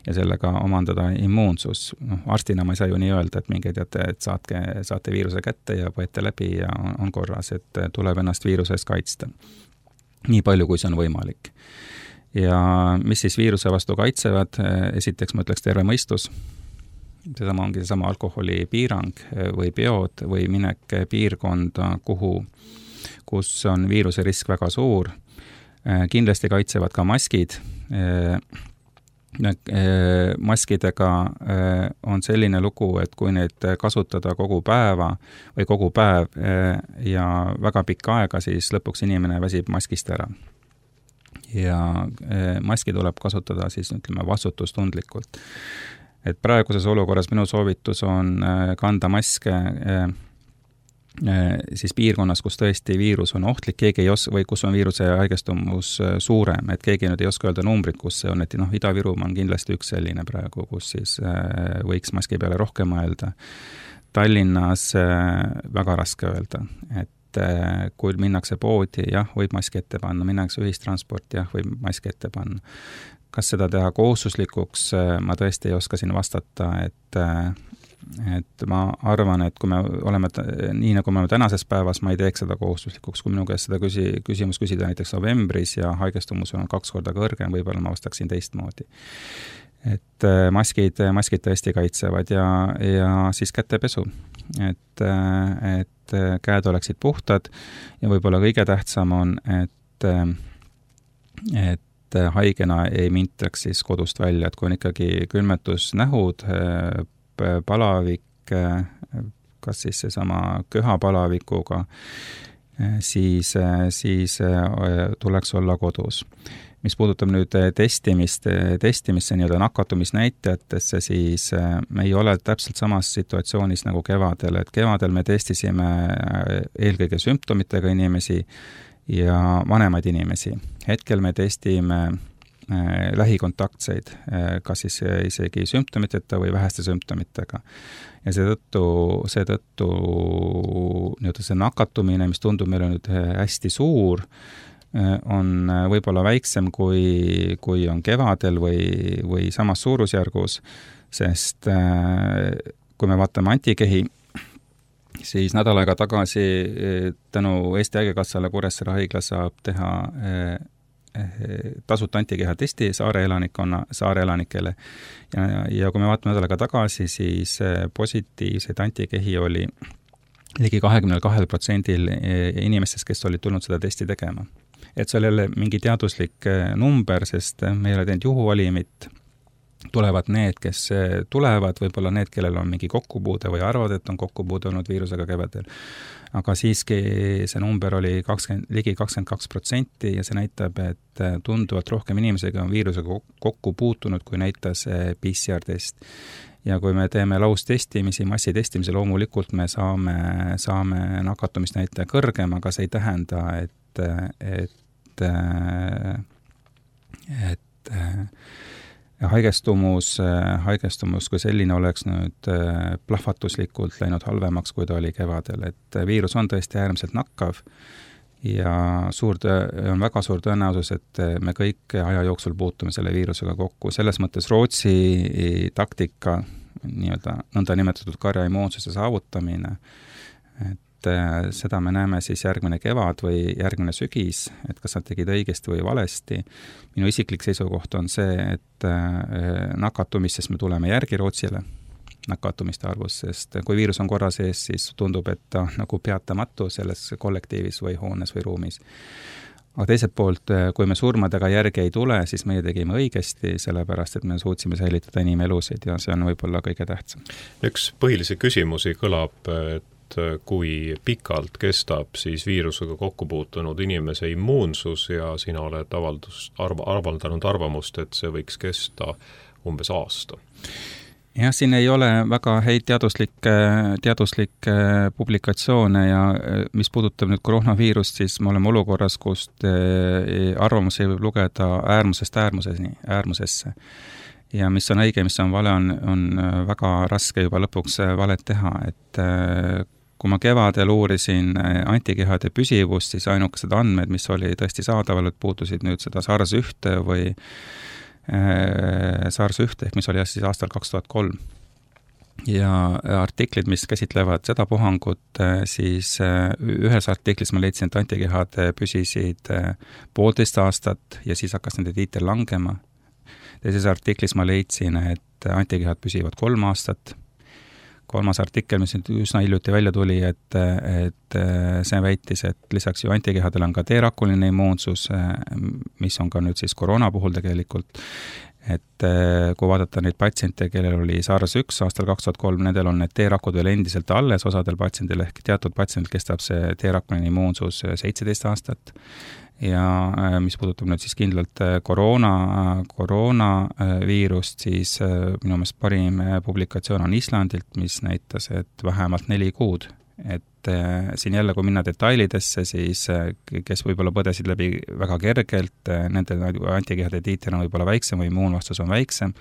ja sellega omandada immuunsus. No, arstina ma ei saa ju nii öelda, et minge teate, et saatke, saate viiruse kätte ja põete läbi ja on, on korras, et tuleb ennast viirusest kaitsta. Nii palju, kui see on võimalik. Ja mis siis viiruse vastu kaitsevad? Esiteks ma ütleks terve mõistus. Sedama ongi seesama alkoholi piirang või peod või minek piirkonda, kuhu, kus on viiruse risk väga suur. Kindlasti kaitsevad ka maskid. Maskidega on selline lugu, et kui neid kasutada kogu päeva või kogu päev ja väga pikka aega, siis lõpuks inimene väsib maskist ära. Ja maski tuleb kasutada siis, ütleme, vastutustundlikult. Et praeguses olukorras minu soovitus on kanda maske siis piirkonnas, kus tõesti viirus on ohtlik, keegi ei oska, või kus on viiruse haigestumus suurem, et keegi nüüd ei oska öelda numbrit, kus see on, et noh, Ida-Virumaa on kindlasti üks selline praegu, kus siis võiks maski peale rohkem mõelda. Tallinnas väga raske öelda, et kui minnakse poodi, jah, võib maski ette panna, minnakse ühistransport, jah, võib maski ette panna. Kas seda teha kohustuslikuks, ma tõesti ei oska siin vastata, et, et ma arvan, et kui me oleme, nii nagu me oleme tänases päevas, ma ei teeks seda kohustuslikuks, kui minu käest seda küsi, küsimus küsida näiteks novembris ja haigestumus on kaks korda kõrgem, võib-olla ma vastaksin teistmoodi. Et maskid, maskid tõesti kaitsevad ja, ja siis kätepesu, et, et käed oleksid puhtad ja võib-olla kõige tähtsam on, et, et haigena ei mintaks siis kodust välja, et kui on ikkagi külmetusnähud, palavik, kas siis seesama köhapalavikuga, siis, siis tuleks olla kodus. Mis puudutab nüüd testimist, testimisse nii-öelda nakatumisnäitajatesse, siis me ei ole täpselt samas situatsioonis nagu kevadel, et kevadel me testisime eelkõige sümptomitega inimesi ja vanemaid inimesi. Hetkel me testime äh, lähikontaktseid, äh, kas siis isegi sümptomiteta või väheste sümptomitega. Ja seetõttu, seetõttu nii-öelda see nakatumine, mis tundub meile nüüd hästi suur, äh, on võib-olla väiksem kui, kui on kevadel või, või samas suurusjärgus, sest äh, kui me vaatame antikehi, siis nädal aega tagasi tänu Eesti Haigekassale Kuressaare haigla saab teha tasuta antikeha testi saare elanikkonna, saare elanikele. Ja, ja kui me vaatame nädal aega tagasi, siis positiivseid antikehi oli ligi kahekümne kahel protsendil inimestest, kes olid tulnud seda testi tegema. Et see oli jälle mingi teaduslik number, sest me ei ole teinud juhuvalimit, tulevad need, kes tulevad, võib-olla need, kellel on mingi kokkupuude või arvad, et on kokkupuude olnud viirusega kevadel. Aga siiski see number oli kakskümmend, ligi kakskümmend kaks protsenti ja see näitab, et tunduvalt rohkem inimesega on viirusega kokku puutunud, kui näitas P C R test. Ja kui me teeme laustestimisi, massitestimise, loomulikult me saame, saame nakatumisnäitaja kõrgem, aga see ei tähenda, et, et, et, et haigestumus, haigestumus kui selline oleks nüüd plahvatuslikult läinud halvemaks, kui ta oli kevadel. Et viirus on tõesti äärmiselt nakkav ja suur töö, on väga suur tõenäosus, et me kõik aja jooksul puutume selle viirusega kokku. Selles mõttes Rootsi taktika, nii-öelda nõnda nimetatud karja immuunsuse saavutamine, et seda me näeme siis järgmine kevad või järgmine sügis, et kas nad tegid õigesti või valesti. Minu isiklik seisukoht on see, et nakatumistest me tuleme järgi Rootsile, nakatumiste arvus, sest kui viirus on korra sees, siis tundub, et ta nagu peatamatu selles kollektiivis või hoones või ruumis. Aga teiselt poolt, kui me surmadega järgi ei tule, siis meie tegime õigesti, sellepärast, et me suutsime säilitada inimelusid ja see on võib-olla kõige tähtsam. Üks põhilisi küsimusi kõlab, et kui pikalt kestab siis viirusega kokku puutunud inimese immuunsus ja sina oled avaldus, arv, avaldanud arvamust, et see võiks kesta umbes aasta. Jah, siin ei ole väga häid teaduslikke, teaduslikke publikatsioone ja mis puudutab nüüd koroonaviirust, siis me oleme olukorras, kust arvamusi võib lugeda äärmusest äärmuseni, äärmusesse. Ja mis on õige, mis on vale, on, on väga raske juba lõpuks valet teha, et kui ma kevadel uurisin antikehade püsivust, siis ainukesed andmed, mis oli tõesti saadaval, et puutusid nüüd seda SARS ühte või SARS ühte, ehk mis oli siis aastal kaks tuhat kolm. Ja artiklid, mis käsitlevad seda puhangut, siis ühes artiklis ma leidsin, et antikehad püsisid poolteist aastat ja siis hakkas nende tiitel langema. Teises artiklis ma leidsin, et antikehad püsivad kolm aastat. Kolmas artikkel, mis üsna hiljuti välja tuli, et, et see väitis, et lisaks ju antikehadel on ka T-rakuline immuunsus, mis on ka nüüd siis koroona puhul tegelikult, et kui vaadata neid patsiente, kellel oli SARS üks aastal kaks tuhat kolm, nendel on need T-rakud veel endiselt alles, osadel patsiendil ehk teatud patsiendil kestab see T-rakuline immuunsus seitseteist aastat. Ja mis puudutab nüüd siis kindlalt koroona, koroonaviirust, siis minu meelest parim publikatsioon on Islandilt, mis näitas, et vähemalt neli kuud. Et siin jälle, kui minna detailidesse, siis kes võib-olla põdesid läbi väga kergelt, nende antikehade tiiter on võib-olla väiksem või immuunvastus on väiksem,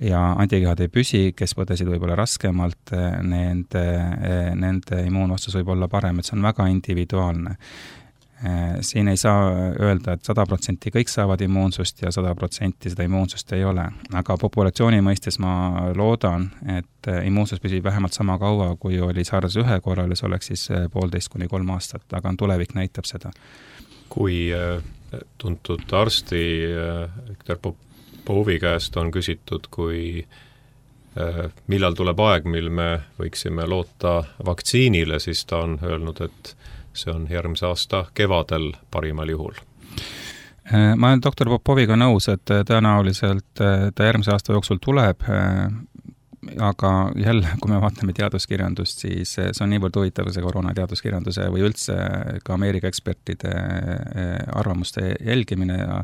ja antikehad ei püsi, kes põdesid võib-olla raskemalt, nende, nende immuunvastus võib olla parem, et see on väga individuaalne. Siin ei saa öelda, et sada protsenti kõik saavad immuunsust ja sada protsenti seda immuunsust ei ole. Aga populatsiooni mõistes ma loodan, et immuunsus püsib vähemalt sama kaua, kui oli SARS ühe korral, see oleks siis poolteist kuni kolm aastat, aga tulevik näitab seda. Kui tuntud arsti Viktor Popovi käest on küsitud, kui millal tuleb aeg, mil me võiksime loota vaktsiinile, siis ta on öelnud, et see on järgmise aasta kevadel parimal juhul. Ma olen doktor Popoviga nõus, et tõenäoliselt ta järgmise aasta jooksul tuleb, aga jälle, kui me vaatame teaduskirjandust, siis see on niivõrd huvitav see koroona teaduskirjanduse või üldse ka Ameerika ekspertide arvamuste jälgimine ja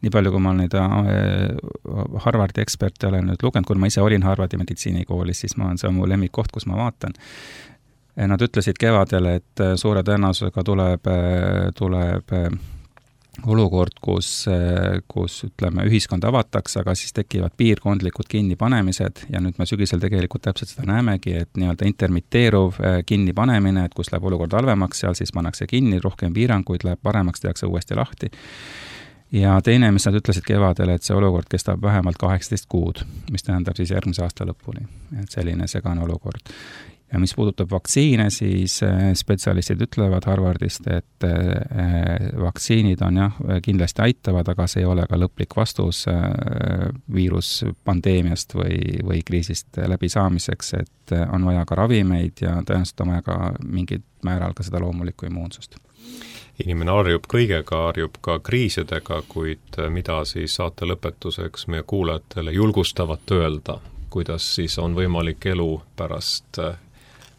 nii palju, kui ma neid Harvardi eksperte olen nüüd lugenud, kui ma ise olin Harvardi meditsiinikoolis, siis ma on see mu lemmikkoht, kus ma vaatan. Nad ütlesid kevadel, et suure tõenäosusega tuleb, tuleb olukord, kus, kus ütleme, ühiskond avatakse, aga siis tekivad piirkondlikud kinnipanemised ja nüüd me sügisel tegelikult täpselt seda näemegi, et nii-öelda intermitteeruv kinnipanemine, et kus läheb olukord halvemaks, seal siis pannakse kinni, rohkem piiranguid, läheb paremaks, tehakse uuesti lahti. Ja teine, mis nad ütlesid kevadel, et see olukord kestab vähemalt kaheksateist kuud, mis tähendab siis järgmise aasta lõpuni, et selline segane olukord. Ja mis puudutab vaktsiine, siis spetsialistid ütlevad Harvardist, et vaktsiinid on jah, kindlasti aitavad, aga see ei ole ka lõplik vastus viiruspandeemiast või, või kriisist läbisaamiseks, et on vaja ka ravimeid ja tõenäoliselt on vaja ka mingid määral ka seda loomulikku immuunsust. Inimene harjub kõigega, harjub ka kriisidega, kuid mida siis saate lõpetuseks meie kuulajatele julgustavat öelda, kuidas siis on võimalik elu pärast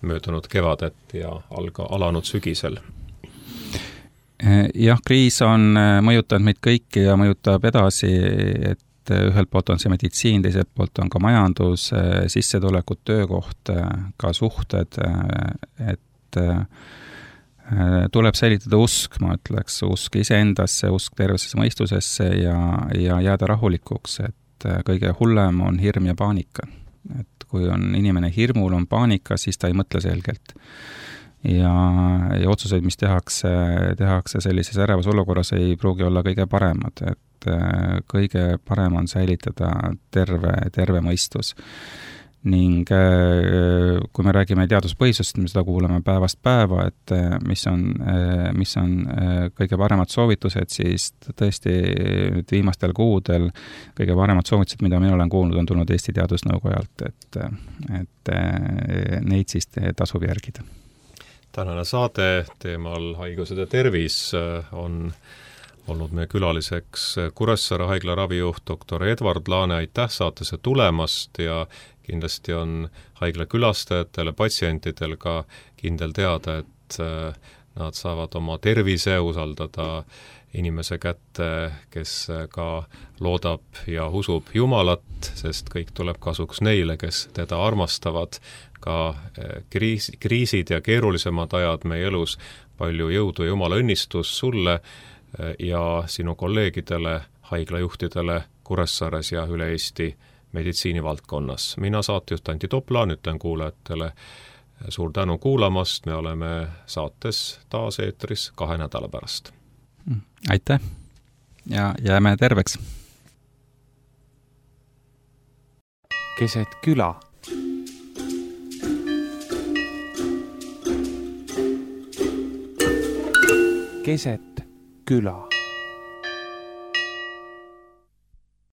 möödunud kevadet ja alga, alanud sügisel? Jah, kriis on mõjutanud meid kõiki ja mõjutab edasi, et ühelt poolt on see meditsiin, teiselt poolt on ka majandus, sissetulekud, töökoht, ka suhted, et tuleb säilitada usk, ma ütleks, usk iseendasse, usk tervesse mõistusesse ja, ja jääda rahulikuks, et kõige hullem on hirm ja paanika. Et kui on inimene hirmul, on paanika, siis ta ei mõtle selgelt. Ja, ja otsuseid, mis tehakse, tehakse sellises ärevas olukorras, ei pruugi olla kõige paremad. Et kõige parem on säilitada terve, terve mõistus. Ning kui me räägime teaduspõhisust, me seda kuuleme päevast päeva, et mis on, mis on kõige paremad soovitused, siis tõesti viimastel kuudel kõige paremad soovitused, mida mina olen kuulnud, on tulnud Eesti Teadusnõukojalt, et, et neid siis tasub järgida. Tänane saade teemal haigused ja tervis on olnud meie külaliseks Kuressaare haigla ravijuht doktor Edward Laane, aitäh saatesse tulemast ja kindlasti on haigla külastajatele, patsientidel ka kindel teada, et nad saavad oma tervise usaldada inimese kätte, kes ka loodab ja usub Jumalat, sest kõik tuleb kasuks neile, kes teda armastavad. Ka kriis, kriisid ja keerulisemad ajad meie elus, palju jõudu ja Jumala õnnistus sulle ja sinu kolleegidele, haiglajuhtidele Kuressaares ja üle Eesti meditsiinivaldkonnas. Mina saatejuht Anti Toplaan ütlen kuulajatele suur tänu kuulamast, me oleme saates taas eetris kahe nädala pärast. Aitäh ja jääme terveks! Keset küla. Keset küla.